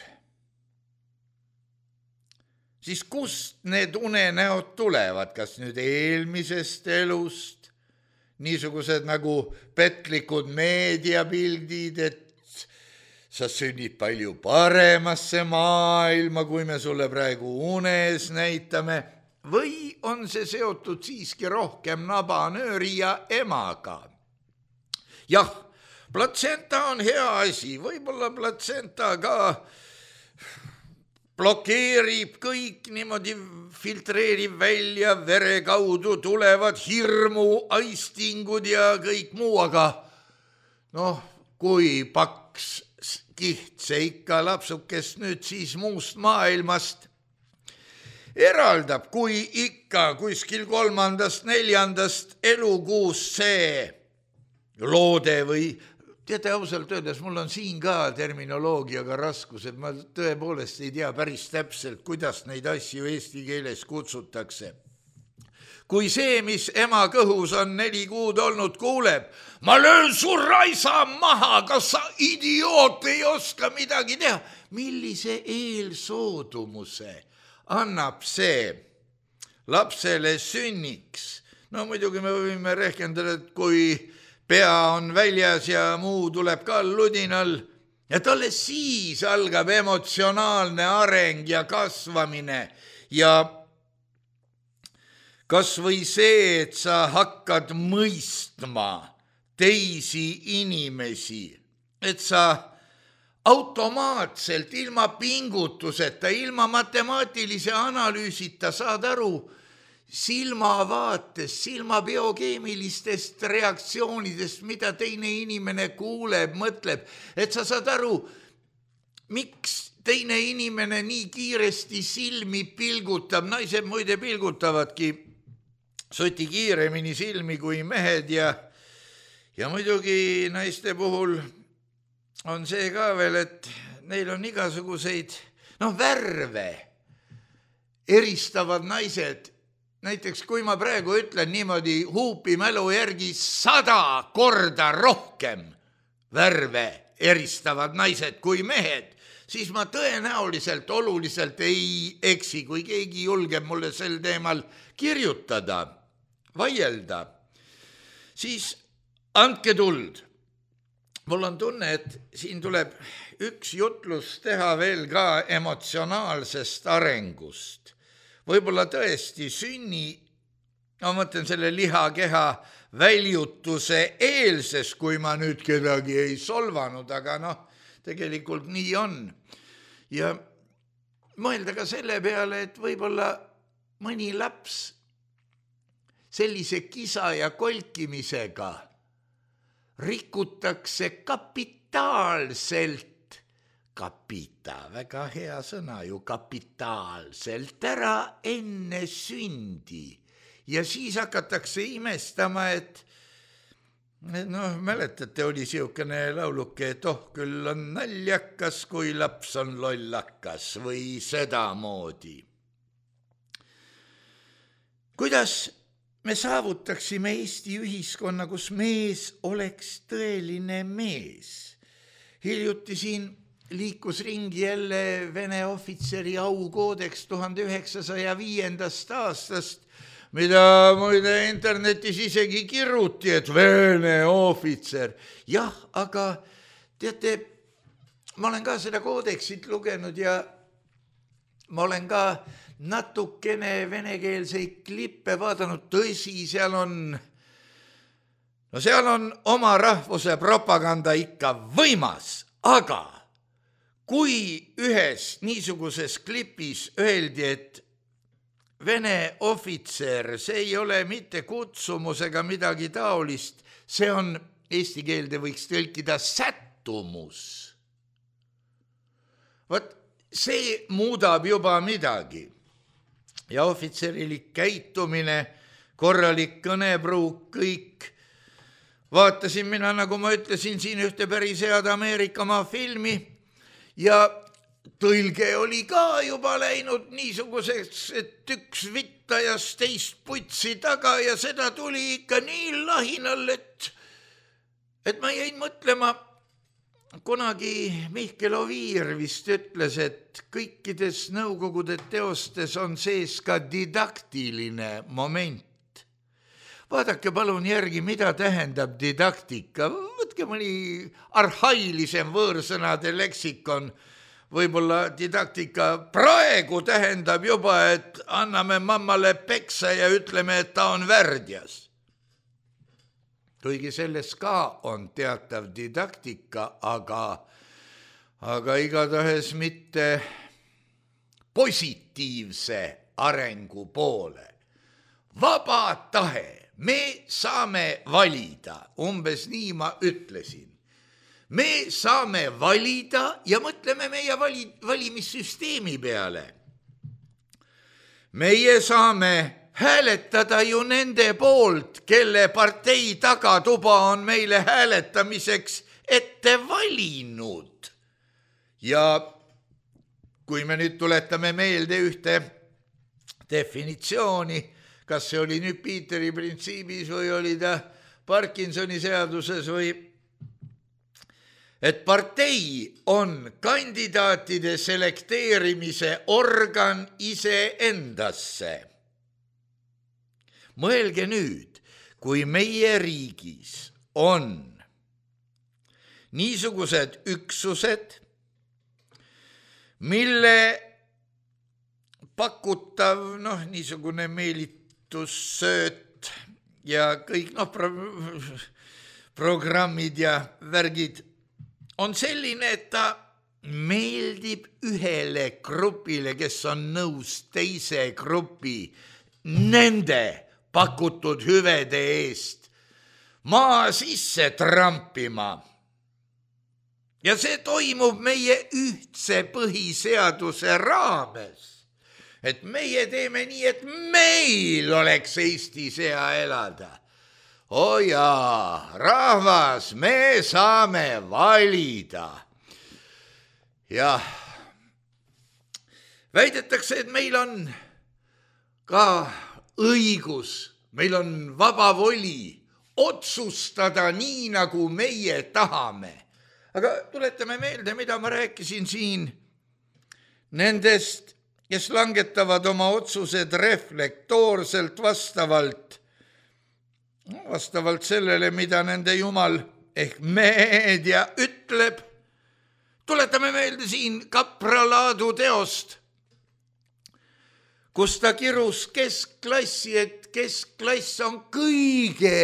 [SPEAKER 3] siis kust need unenäod tulevad, kas nüüd eelmisest elust, niisugused nagu petlikud meediapildid, et sa sünnid palju paremasse maailma, kui me sulle praegu unes näitame, või on see seotud siiski rohkem nabanööri ja emaga? Jah, platsenta on hea asi, võib-olla platsenta ka blokeerib kõik niimoodi, filtreerib välja vere kaudu tulevad hirmu, aistingud ja kõik muu, aga noh, kui paks kiht see ikka lapsukest nüüd siis muust maailmast eraldab, kui ikka kuskil kolmandast, neljandast elukuust see loode või teate, ausalt öeldes, mul on siin ka terminoloogiaga raskused, ma tõepoolest ei tea päris täpselt, kuidas neid asju eesti keeles kutsutakse. Kui see, mis ema kõhus on neli kuud olnud, kuuleb, ma löön su raisa maha, kas sa idioot ei oska midagi teha? Millise eelsoodumuse annab see lapsele sünniks? No muidugi me võime rehkendada, et kui pea on väljas ja muu tuleb ka ludinal ja talle siis algab emotsionaalne areng ja kasvamine ja kas või see, et sa hakkad mõistma teisi inimesi, et sa automaatselt ilma pingutuseta, ilma matemaatilise analüüsita saad aru silmavaatest, silma biokeemilistest reaktsioonidest, mida teine inimene kuuleb, mõtleb, et sa saad aru, miks teine inimene nii kiiresti silmi pilgutab, naised muide pilgutavadki soti kiiremini silmi kui mehed ja, ja muidugi naiste puhul on see ka veel, et neil on igasuguseid, noh, värve eristavad naised. Näiteks kui ma praegu ütlen niimoodi huupi mälu järgi sada korda rohkem värve eristavad naised kui mehed, siis ma tõenäoliselt oluliselt ei eksi, kui keegi julgeb mulle sel teemal kirjutada, vaielda, siis andke tuld. Mul on tunne, et siin tuleb üks jutlus teha veel ka emotsionaalsest arengust. Võib-olla tõesti sünni, ma mõtlen selle lihakeha väljutuse eelses, kui ma nüüd kedagi ei solvanud, aga noh, tegelikult nii on. Ja mõelda ka selle peale, et võib-olla mõni laps sellise kisa ja kolkimisega rikutakse kapitaalselt, kapita, väga hea sõna ju, kapitaalselt ära enne sündi. Ja siis hakatakse imestama, et noh, mäletate, oli siukene lauluke, et oh, küll on naljakas, kui laps on lollakas või sedamoodi. Kuidas me saavutaksime Eesti ühiskonna, kus mees oleks tõeline mees? Hiljuti siin liikus ringi jälle Vene ohvitseri aukoodeks tuhande üheksasaja viiendast aastast, mida muide internetis isegi kirruti, et Vene ohvitser. Jah, aga teate, ma olen ka seda koodeksit lugenud ja ma olen ka natukene venekeelseid klippe vaadanud, tõsi, seal on, no seal on oma rahvuse propaganda ikka võimas, aga kui ühes niisuguses klipis öeldi, et Vene ohvitser, see ei ole mitte kutsumus ega midagi taolist, see on, eesti keelde võiks tõlkida sättumus. Vot see muudab juba midagi. Ja ohvitserilik käitumine, korralik kõnepruuk, kõik. Vaatasin mina, nagu ma ütlesin, siin ühte päris head Ameerikamaa filmi ja tõlge oli ka juba läinud niisuguseks, et üks vittajas teist putsi taga ja seda tuli ikka nii lahinal, et, et ma jäin mõtlema, kunagi Mihkel Oviir vist ütles, et kõikides Nõukogude teostes on sees ka didaktiline moment. Vaadake palun järgi, mida tähendab didaktika. võtke mõni arhailisem võõrsõnade leksikon, võib-olla didaktika praegu tähendab juba, et anname mammale peksa ja ütleme, et ta on värdjas. Kuigi selles ka on teatav didaktika, aga, aga igatahes mitte positiivse arengu poole. Vaba tahe, me saame valida, umbes nii ma ütlesin. Me saame valida ja mõtleme meie vali, valimissüsteemi peale. Meie saame hääletada ju nende poolt, kelle partei tagatuba on meile hääletamiseks ette valinud. Ja kui me nüüd tuletame meelde ühte definitsiooni, kas see oli nüüd Peteri printsiibis või oli ta Parkinsoni seaduses või, et partei on kandidaatide selekteerimise organ iseendasse. Mõelge nüüd, kui meie riigis on niisugused üksused, mille pakutav, noh, niisugune meelitussööt ja kõik, noh, pro- programmid ja värgid on selline, et ta meeldib ühele grupile, kes on nõus teise grupi nende pakutud hüvede eest maa sisse trampima. Ja see toimub meie ühtse põhiseaduse raames. Et meie teeme nii, et meil oleks Eestis hea elada. O jaa, rahvas, me saame valida. Jah, väidetakse, et meil on ka õigus, meil on vaba voli otsustada nii, nagu meie tahame. Aga tuletame meelde, mida ma rääkisin siin nendest, kes langetavad oma otsused reflektoorselt vastavalt, vastavalt sellele, mida nende jumal ehk meedia ütleb. Tuletame meelde siin Kapra Laadu teost, kus ta kirus keskklassi, et keskklass on kõige,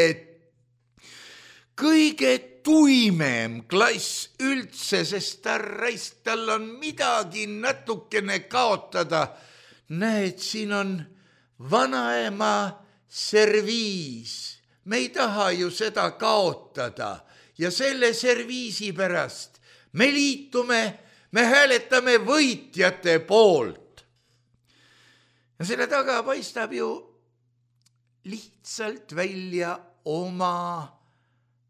[SPEAKER 3] kõige tuimem klass üldse, sest ta raist, tal on midagi natukene kaotada. Näed, siin on vanaema serviis. Me ei taha ju seda kaotada ja selle serviisi pärast me liitume, me hääletame võitjate poolt. Ja selle taga paistab ju lihtsalt välja oma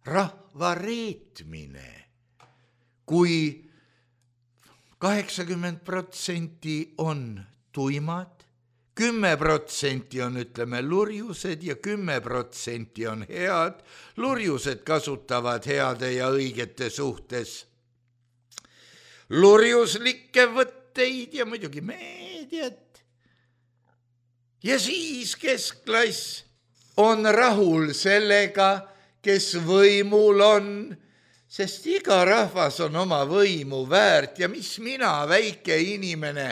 [SPEAKER 3] rahva reetmine, kui kaheksakümmend protsenti on tuimad, kümme protsenti on, ütleme, lurjused ja kümme protsenti on head. Lurjused kasutavad heade ja õigete suhtes lurjuslikke võtteid ja muidugi meediat. Ja siis keskklass on rahul sellega, kes võimul on, sest iga rahvas on oma võimu väärt ja mis mina, väike inimene,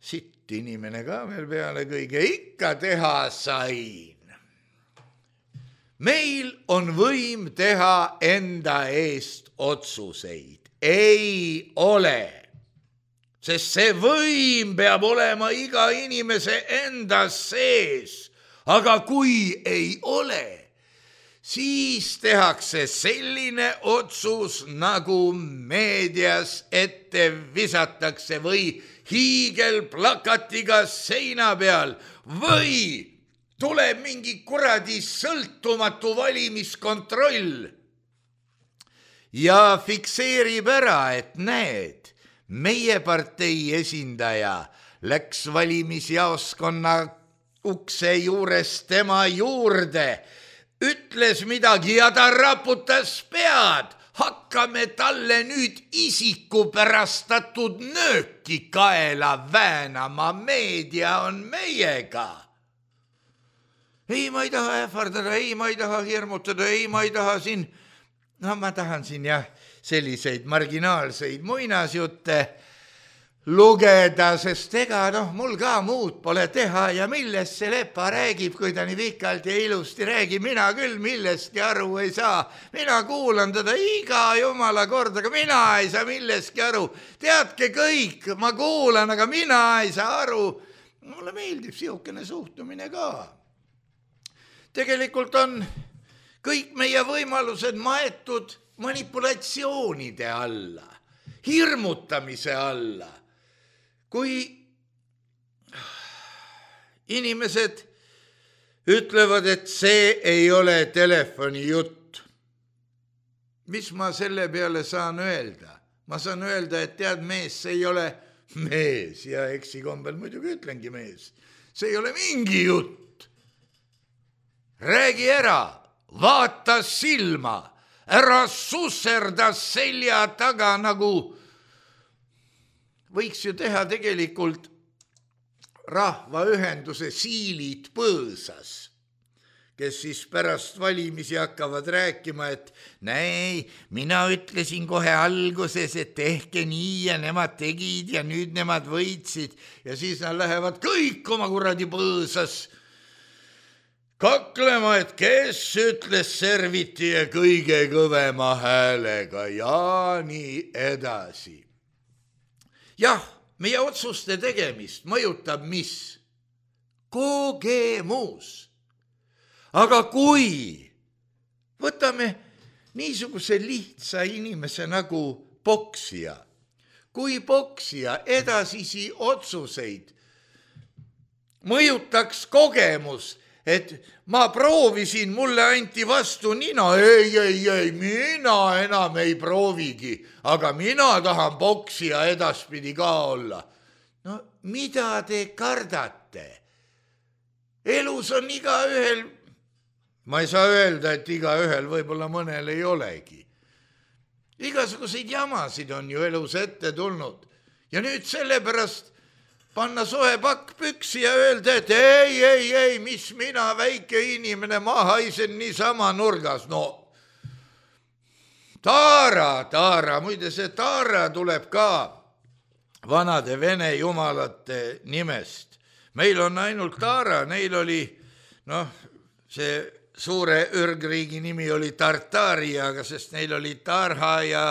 [SPEAKER 3] sitt inimene ka veel peale kõige, ikka teha sain. Meil on võim teha enda eest otsuseid. Ei ole, sest see võim peab olema iga inimese enda sees, aga kui ei ole, siis tehakse selline otsus, nagu meedias ette visatakse või hiigelplakatiga seina peal või tuleb mingi kuradi sõltumatu valimiskontroll ja fikseerib ära, et näed, meie partei esindaja läks valimisjaoskonna ukse juures tema juurde, ütles midagi ja ta raputas pead. Hakkame talle nüüd isikupärastatud nööki kaela väänama, meedia on meiega. Ei, ma ei taha ähvardada, ei, ma ei taha hirmutada, ei, ma ei taha siin no ma tahan siin jah selliseid marginaalseid muinasjutte lugeda, sest ega noh, mul ka muud pole teha ja millest see Lepa räägib, kui ta nii pikalt ja ilusti räägib, mina küll millestki aru ei saa. Mina kuulan teda iga jumala kord, aga mina ei saa millestki aru. Teadke kõik, ma kuulan, aga mina ei saa aru. Mulle meeldib siukene suhtumine ka. Tegelikult on kõik meie võimalused maetud manipulatsioonide alla, hirmutamise alla. Kui inimesed ütlevad, et see ei ole telefoni jutt, mis ma selle peale saan öelda? Ma saan öelda, et tead mees, see ei ole mees ja eksikombel muidugi ütlengi mees. See ei ole mingi jutt. Räägi ära, vaata silma, ära susserda selja taga nagu võiks ju teha tegelikult rahvaühenduse siilid põõsas, kes siis pärast valimisi hakkavad rääkima, et näi, mina ütlesin kohe alguses, et tehke nii ja nemad tegid ja nüüd nemad võitsid ja siis nad lähevad kõik oma kuradi põõsas kaklema, et kes ütles serviti ja kõige kõvema häälega ja nii edasi. Jah, meie otsuste tegemist mõjutab mis? Kogemus. Aga kui võtame niisuguse lihtsa inimese nagu poksija, kui poksija edasisi otsuseid mõjutaks kogemus, et ma proovisin, mulle anti vastu nina, ei, ei, ei, mina enam ei proovigi, aga mina tahan poksija edaspidi ka olla. No mida te kardate? Elus on igaühel, ma ei saa öelda, et igaühel võib-olla mõnel ei olegi. Igasuguseid jamasid on ju elus ette tulnud ja nüüd sellepärast panna soe pakk püksi ja öelda, et ei, ei, ei, mis mina, väike inimene, ma haisen niisama nurgas. No, Taara, Taara, muide see Taara tuleb ka vanade vene jumalate nimest. Meil on ainult Taara, neil oli, noh, see suure ürgriigi nimi oli Tartaria, aga sest neil oli Tarha ja,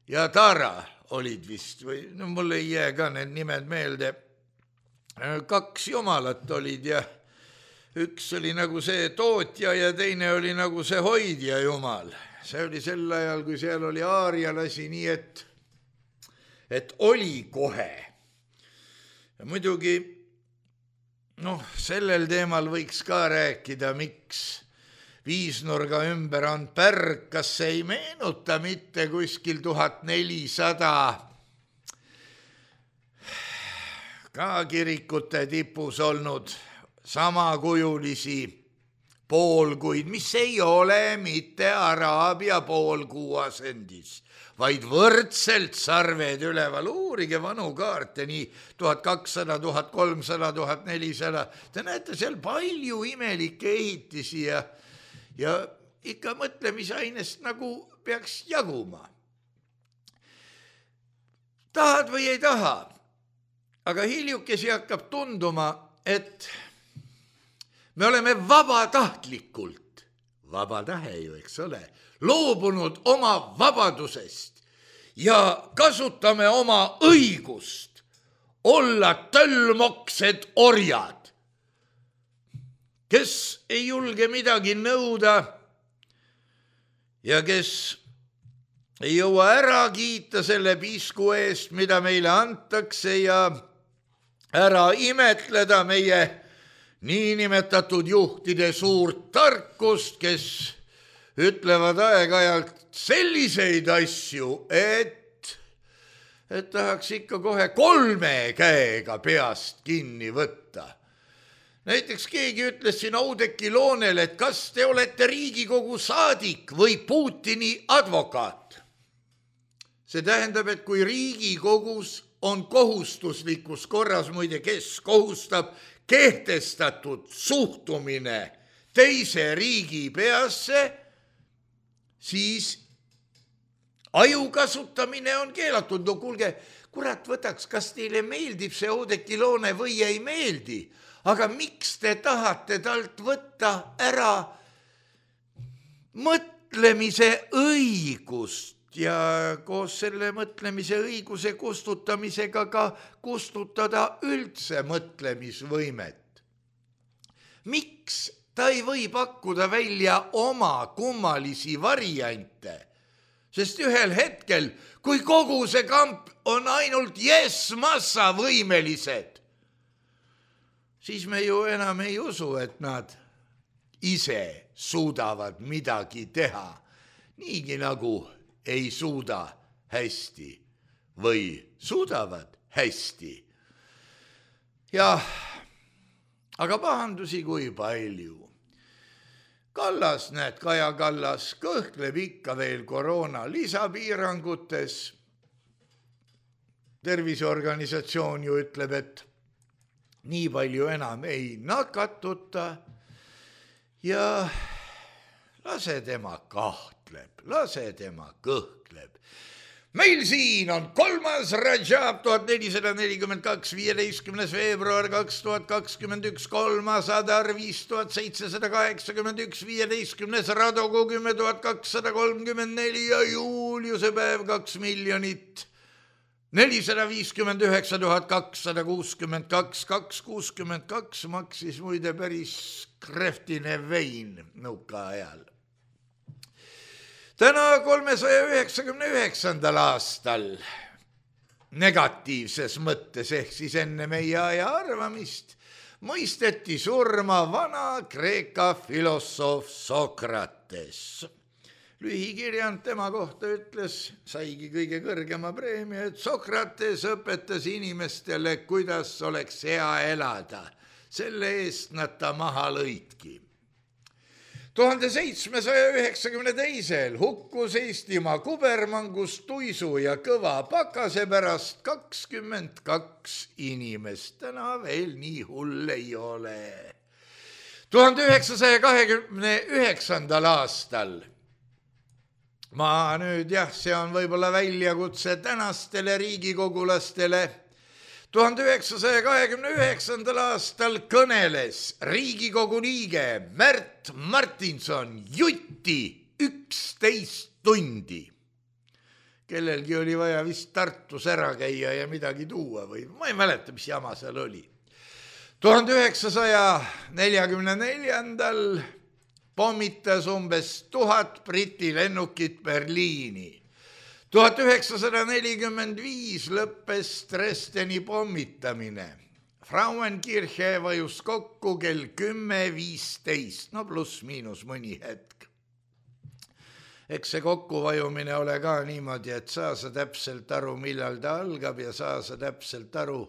[SPEAKER 3] ja Taara olid vist, või no mul ei jää ka need nimed meelde. Kaks jumalat olid ja üks oli nagu see tootja ja teine oli nagu see hoidja jumal. See oli sel ajal, kui seal oli aarialasi, nii et, et oli kohe. Ja muidugi, noh, sellel teemal võiks ka rääkida, miks viisnurga ümber on pärg, kas ei meenuta mitte kuskil tuhat nelisada ka kirikute tipus olnud samakujulisi poolkuid, mis ei ole mitte Araabia poolkuu asendis, vaid võrdselt sarved üleval. Uurige vanu kaarte, nii tuhat kakssada, tuhat kolmsada, tuhat nelisada. Te näete seal palju imelikke ehitisi ja Ja ikka mõtlemisainest nagu peaks jaguma. Tahad või ei taha, aga hiljukesi hakkab tunduma, et me oleme vabatahtlikult, vaba tahe ju, eks ole, loobunud oma vabadusest ja kasutame oma õigust olla tölmoksed orjad, kes ei julge midagi nõuda ja kes ei jõua ära kiita selle pisku eest, mida meile antakse ja ära imetleda meie niinimetatud juhtide suurt tarkust, kes ütlevad aeg-ajalt selliseid asju, et, et tahaks ikka kohe kolme käega peast kinni võtta. Näiteks keegi ütles siin Oudekki Loonel, et kas te olete Riigikogu saadik või Putini advokaat. See tähendab, et kui Riigikogus on kohustuslikus korras, muide, kes kohustab kehtestatud suhtumine teise riigi peasse, siis aju kasutamine on keelatud. No kuulge, kurat võtaks, kas teile meeldib see Oudekki Loone või ei meeldi, aga miks te tahate talt võtta ära mõtlemise õigust ja koos selle mõtlemise õiguse kustutamisega ka kustutada üldse mõtlemisvõimet? Miks ta ei või pakkuda välja oma kummalisi variante? Sest ühel hetkel, kui kogu see kamp on ainult yes-massa võimelised, siis me ju enam ei usu, et nad ise suudavad midagi teha, niigi nagu ei suuda hästi või suudavad hästi. Jah, aga pahandusi kui palju. Kallas, näed, Kaja Kallas kõhkleb ikka veel koroona lisapiirangutes. Terviseorganisatsioon ju ütleb, et nii palju enam ei nakatuta ja lase tema kahtleb, lase tema kõhkleb. Meil siin on kolmas Rajab tuhat nelisada nelikümmend kaks, viieteistkümnes veebruar kaks tuhat kakskümmend üks, kolmas Adar viis tuhat seitsesada kaheksakümmend üks, viieteistkümnes Radogu kümme tuhat kakssada kolmkümmend neli ja Juuliuse päev kaks miljonit nelisada viiskümmend üheksa tuhat kakssada kuuskümmend kaks, kaks kuuskümmend kaks maksis muide päris kreftine vein nõuka ajal. Täna kolmesaja üheksakümne üheksandal aastal negatiivses mõttes ehk siis enne meie aja arvamist mõisteti surma vana Kreeka filosoof Sokrates. Lühikirjand tema kohta ütles, saigi kõige kõrgema preemia, et Sokrates õpetas inimestele, kuidas oleks hea elada. Selle eest nad ta maha lõidki. tuhande seitsmesaja üheksakümne teisel hukkus Eestimaa kubermangus tuisu ja kõva pakase pärast kakskümmend kaks inimest. Täna veel nii hull ei ole. tuhande üheksasaja kahekümne üheksandal aastal, ma nüüd jah, see on võib-olla väljakutse tänastele riigikogulastele, tuhande üheksasaja kahekümne üheksandal aastal kõneles Riigikogu liige Märt Martinson jutti üksteist tundi. Kellelgi oli vaja vist Tartus ära käia ja midagi tuua või ma ei mäleta, mis jama seal oli. tuhande üheksasaja neljakümne neljandal pommitas umbes tuhat Briti lennukit Berliini. tuhat üheksasada nelikümmend viis lõppes Dresdeni pommitamine. Frauenkirche vajus kokku kell kümme viisteist, no pluss miinus mõni hetk. Eks see kokkuvajumine ole ka niimoodi, et saa sa täpselt aru, millal ta algab ja saa sa täpselt aru.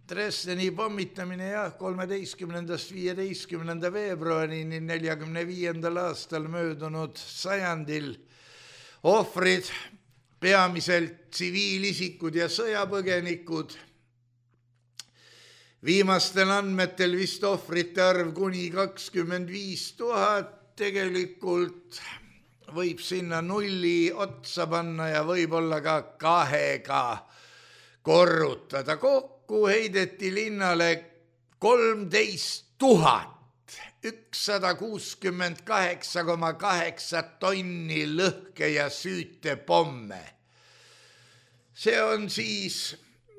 [SPEAKER 3] Dresdeni pommitamine jah, kolmeteistkümnendast viieteistkümnenda veebruarini neljakümne viiendal aastal möödunud sajandil ohvrid, peamiselt tsiviilisikud ja sõjapõgenikud. Viimastel andmetel vist ohvrite arv kuni kakskümmend viis tuhat, tegelikult võib sinna nulli otsa panna ja võib-olla ka kahega korrutada. Kokku heideti linnale kolmteist tuhat ükssada kuuskümmend kaheksa koma kaheksa tonni lõhke ja süüte pomme. See on siis,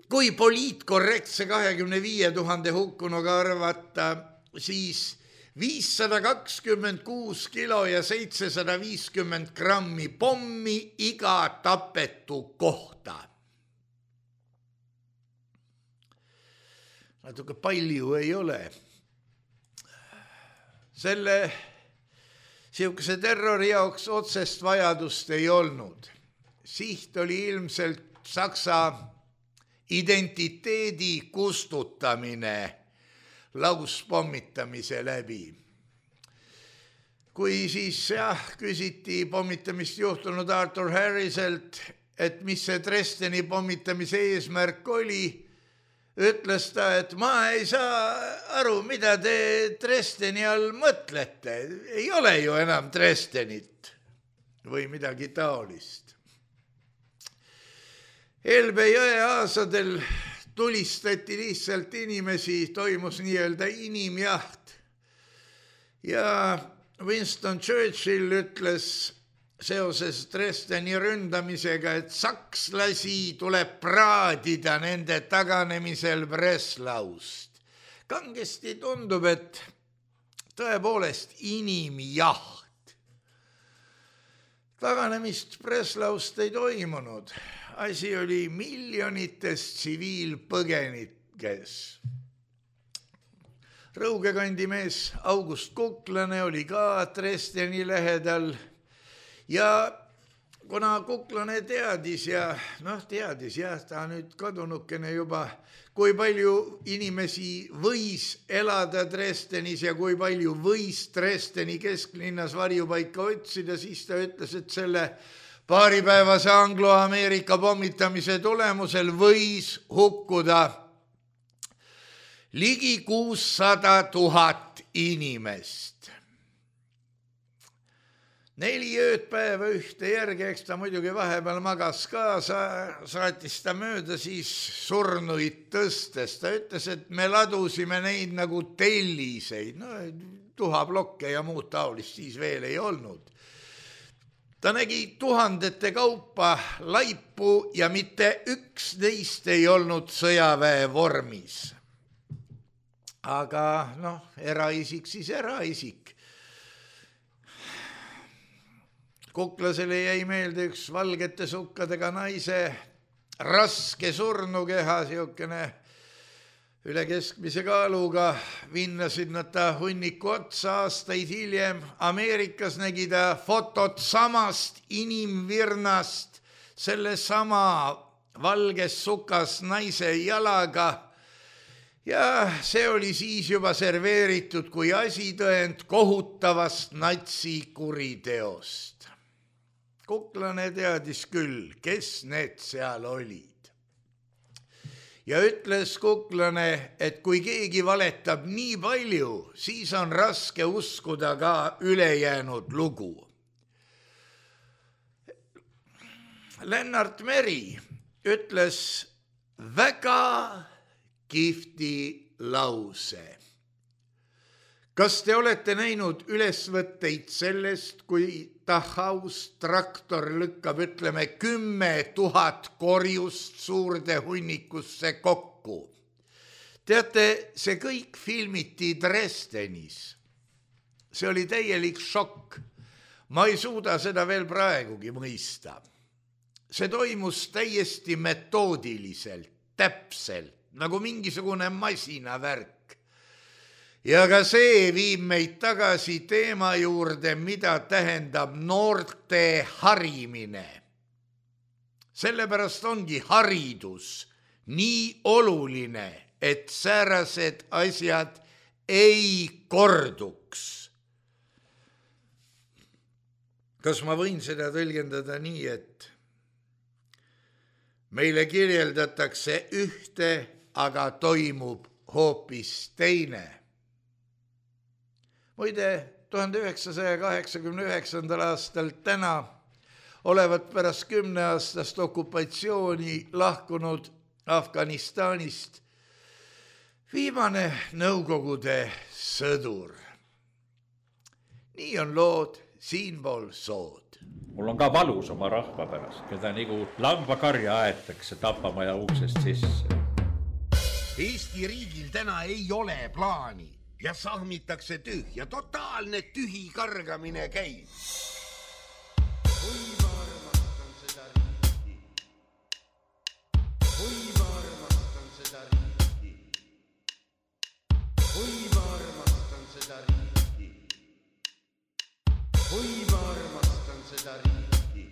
[SPEAKER 3] kui poliitkorrektse kahekümne viie tuhande hukkunuga arvata, siis viissada kakskümmend kuus kilo ja seitsesada viiskümmend grammi pommi iga tapetu kohta. Natuke palju ei ole. Selle sihukese terrori jaoks otsest vajadust ei olnud. Siht oli ilmselt Saksa identiteedi kustutamine lauspomitamise läbi. Kui siis jah, küsiti pommitamist juhtunud Arthur Harriselt, et mis see Dresdeni pommitamise eesmärk oli, ütles ta, et ma ei saa aru, mida te Dresdeni all mõtlete. Ei ole ju enam Dresdenit või midagi taolist. Elbe jõe aasadel tulistati lihtsalt inimesi, toimus nii-öelda inimjaht. Ja Winston Churchill ütles seoses Dresdeni ründamisega, et sakslasi tuleb praadida nende taganemisel Breslaust. Kangesti tundub, et tõepoolest inimjaht. Taganemist Breslaust ei toimunud. Asi oli miljonites tsiviilpõgenikes. Rõugekandi mees August Kuklane oli ka Dresdeni lähedal. Ja kuna Kuklane teadis ja noh, teadis jah, ta nüüd kadunukene juba, kui palju inimesi võis elada Dresdenis ja kui palju võis Dresdeni kesklinnas varjupaika otsida, siis ta ütles, et selle paaripäevase Anglo-Ameerika pommitamise tulemusel võis hukkuda ligi kuussada tuhat inimest. Neli ööd päeva ühte järge, eks ta muidugi vahepeal magas ka, saatis ta mööda siis surnuid tõstes. Ta ütles, et me ladusime neid nagu telliseid, no tuhaplokke ja muud taolist siis veel ei olnud. Ta nägi tuhandete kaupa laipu ja mitte üks neist ei olnud sõjaväe vormis. Aga noh, eraisik siis eraisik. Kuklasele jäi meelde üks valgete sukkadega naise raske surnukeha, siukene üle keskmise kaaluga. Vinnasid nad ta hunniku otsa aastaid hiljem. Ameerikas nägi ta fotot samast inimvirnast, selle sama valges sukas naise jalaga. Ja see oli siis juba serveeritud kui asitõend kohutavast natsi kuriteost. Kuklane teadis küll, kes need seal olid. Ja ütles Kuklane, et kui keegi valetab nii palju, siis on raske uskuda ka ülejäänud lugu. Lennart Meri ütles väga kihvti lause. Kas te olete näinud ülesvõtteid sellest, kui Tahaus traktor lükkab, ütleme, kümme tuhat korjust suurde hunnikusse kokku? Teate, see kõik filmiti Dresdenis. See oli täielik šokk. Ma ei suuda seda veel praegugi mõista. See toimus täiesti metoodiliselt, täpselt, nagu mingisugune masinavärk. Ja ka see viib meid tagasi teema juurde, mida tähendab noorte harimine. Sellepärast ongi haridus nii oluline, et säärased asjad ei korduks. Kas ma võin seda tõlgendada nii, et meile kirjeldatakse ühte, aga toimub hoopis teine? Muide, tuhande üheksasaja kaheksakümne üheksandal aastal täna olevat pärast kümneaastast okupatsiooni lahkunud Afganistanist viimane Nõukogude sõdur. Nii on lood siinpool sood.
[SPEAKER 4] Mul on ka valus oma rahva pärast, keda nagu lambakarja aetakse tapamaja uksest sisse.
[SPEAKER 5] Eesti riigil täna ei ole plaani. Ja sahmitakse tühja, totaalne tühi kargamine käib. Oi, ma armastan seda riiki. Oi, ma armastan seda riiki. Oi, ma armastan seda riiki. Oi, ma armastan seda riiki.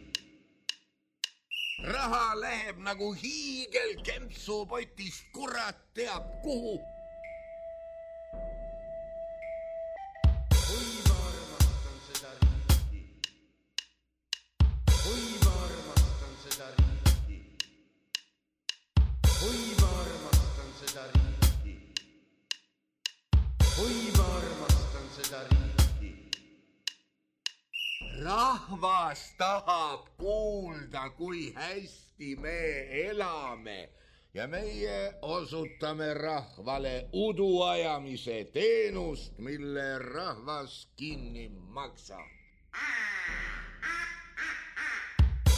[SPEAKER 5] Raha läheb nagu hiigel kempsupotist, kurat teab kuhu. Oi, ma armastan seda Rahvas tahab kuulda, kui hästi me elame ja meie osutame rahvale uduajamise teenust, mille rahvas kinni maksa.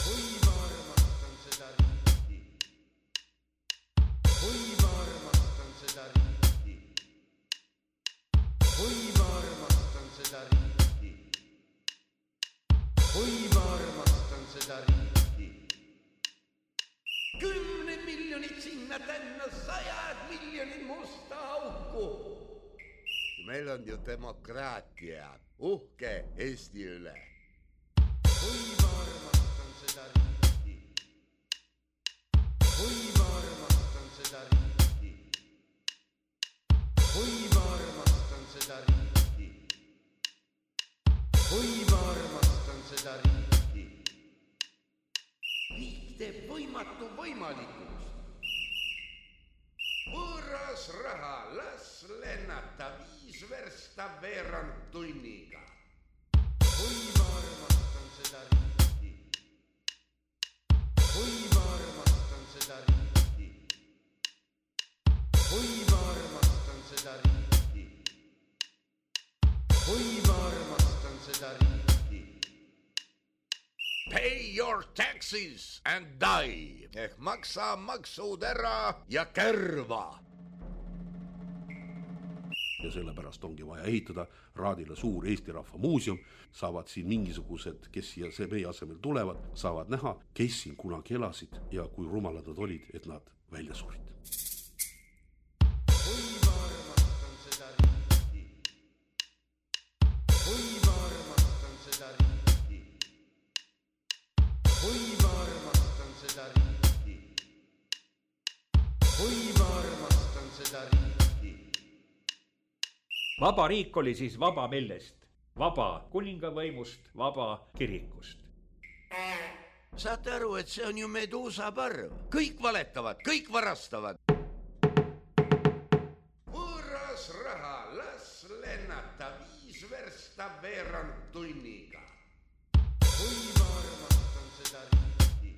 [SPEAKER 5] Kui ma armastan seda riiki, kui ma armastan seda riiki, kui ma armastan seda riiki, kui ma armastan seda riiki. Kümne miljonit sinna tänna, sajad miljonit musta auku. Meil on ju demokraatia, uhke Eesti üle. Kui ma armastan seda riiki, kui ma armastan seda riiki, kui ma armastan seda riiki, kui ma armastan seda riiki. Riik teeb võimatu võimalikuks. Võõras raha, las lennata viis versta veerand tunniga. Kui ma armastan seda riiki, kui ma armastan seda riiki, kui ma armastan seda riiki, kui ma armastan seda riiki. Pay your taxes and die. Ehk maksa maksud ära ja kärva.
[SPEAKER 6] Ja sellepärast ongi vaja ehitada Raadile suur Eesti Rahva Muuseum. Saavad siin mingisugused, kes siia see meie asemel tulevad, saavad näha, kes siin kunagi elasid ja kui rumalad nad olid, et nad välja surid. Kui ma armastan seda riiki, kui ma armastan seda riiki, kui ma armastan seda riiki, kui ma armastan seda riiki.
[SPEAKER 4] Vaba riik oli siis vaba millest? Vaba kuningavõimust, vaba kirikust.
[SPEAKER 5] Saate aru, et see on ju Meduusa parv. Kõik valetavad, kõik varastavad. Võõras raha, las lennata viis versta veerand tunniga. Kui ma armastan seda riiki,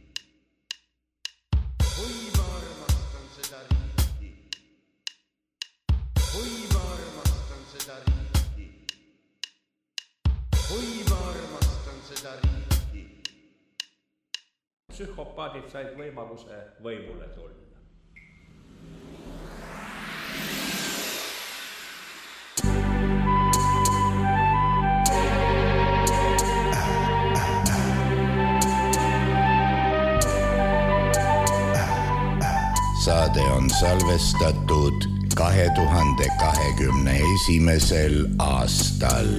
[SPEAKER 5] kui ma armastan seda riiki, kui ma armastan seda riiki, kui ma armastan seda riiki.
[SPEAKER 4] Psühhopaadid said võimaluse võimule tulla.
[SPEAKER 3] Saade on salvestatud kahe tuhande kahekümne esimesel aastal.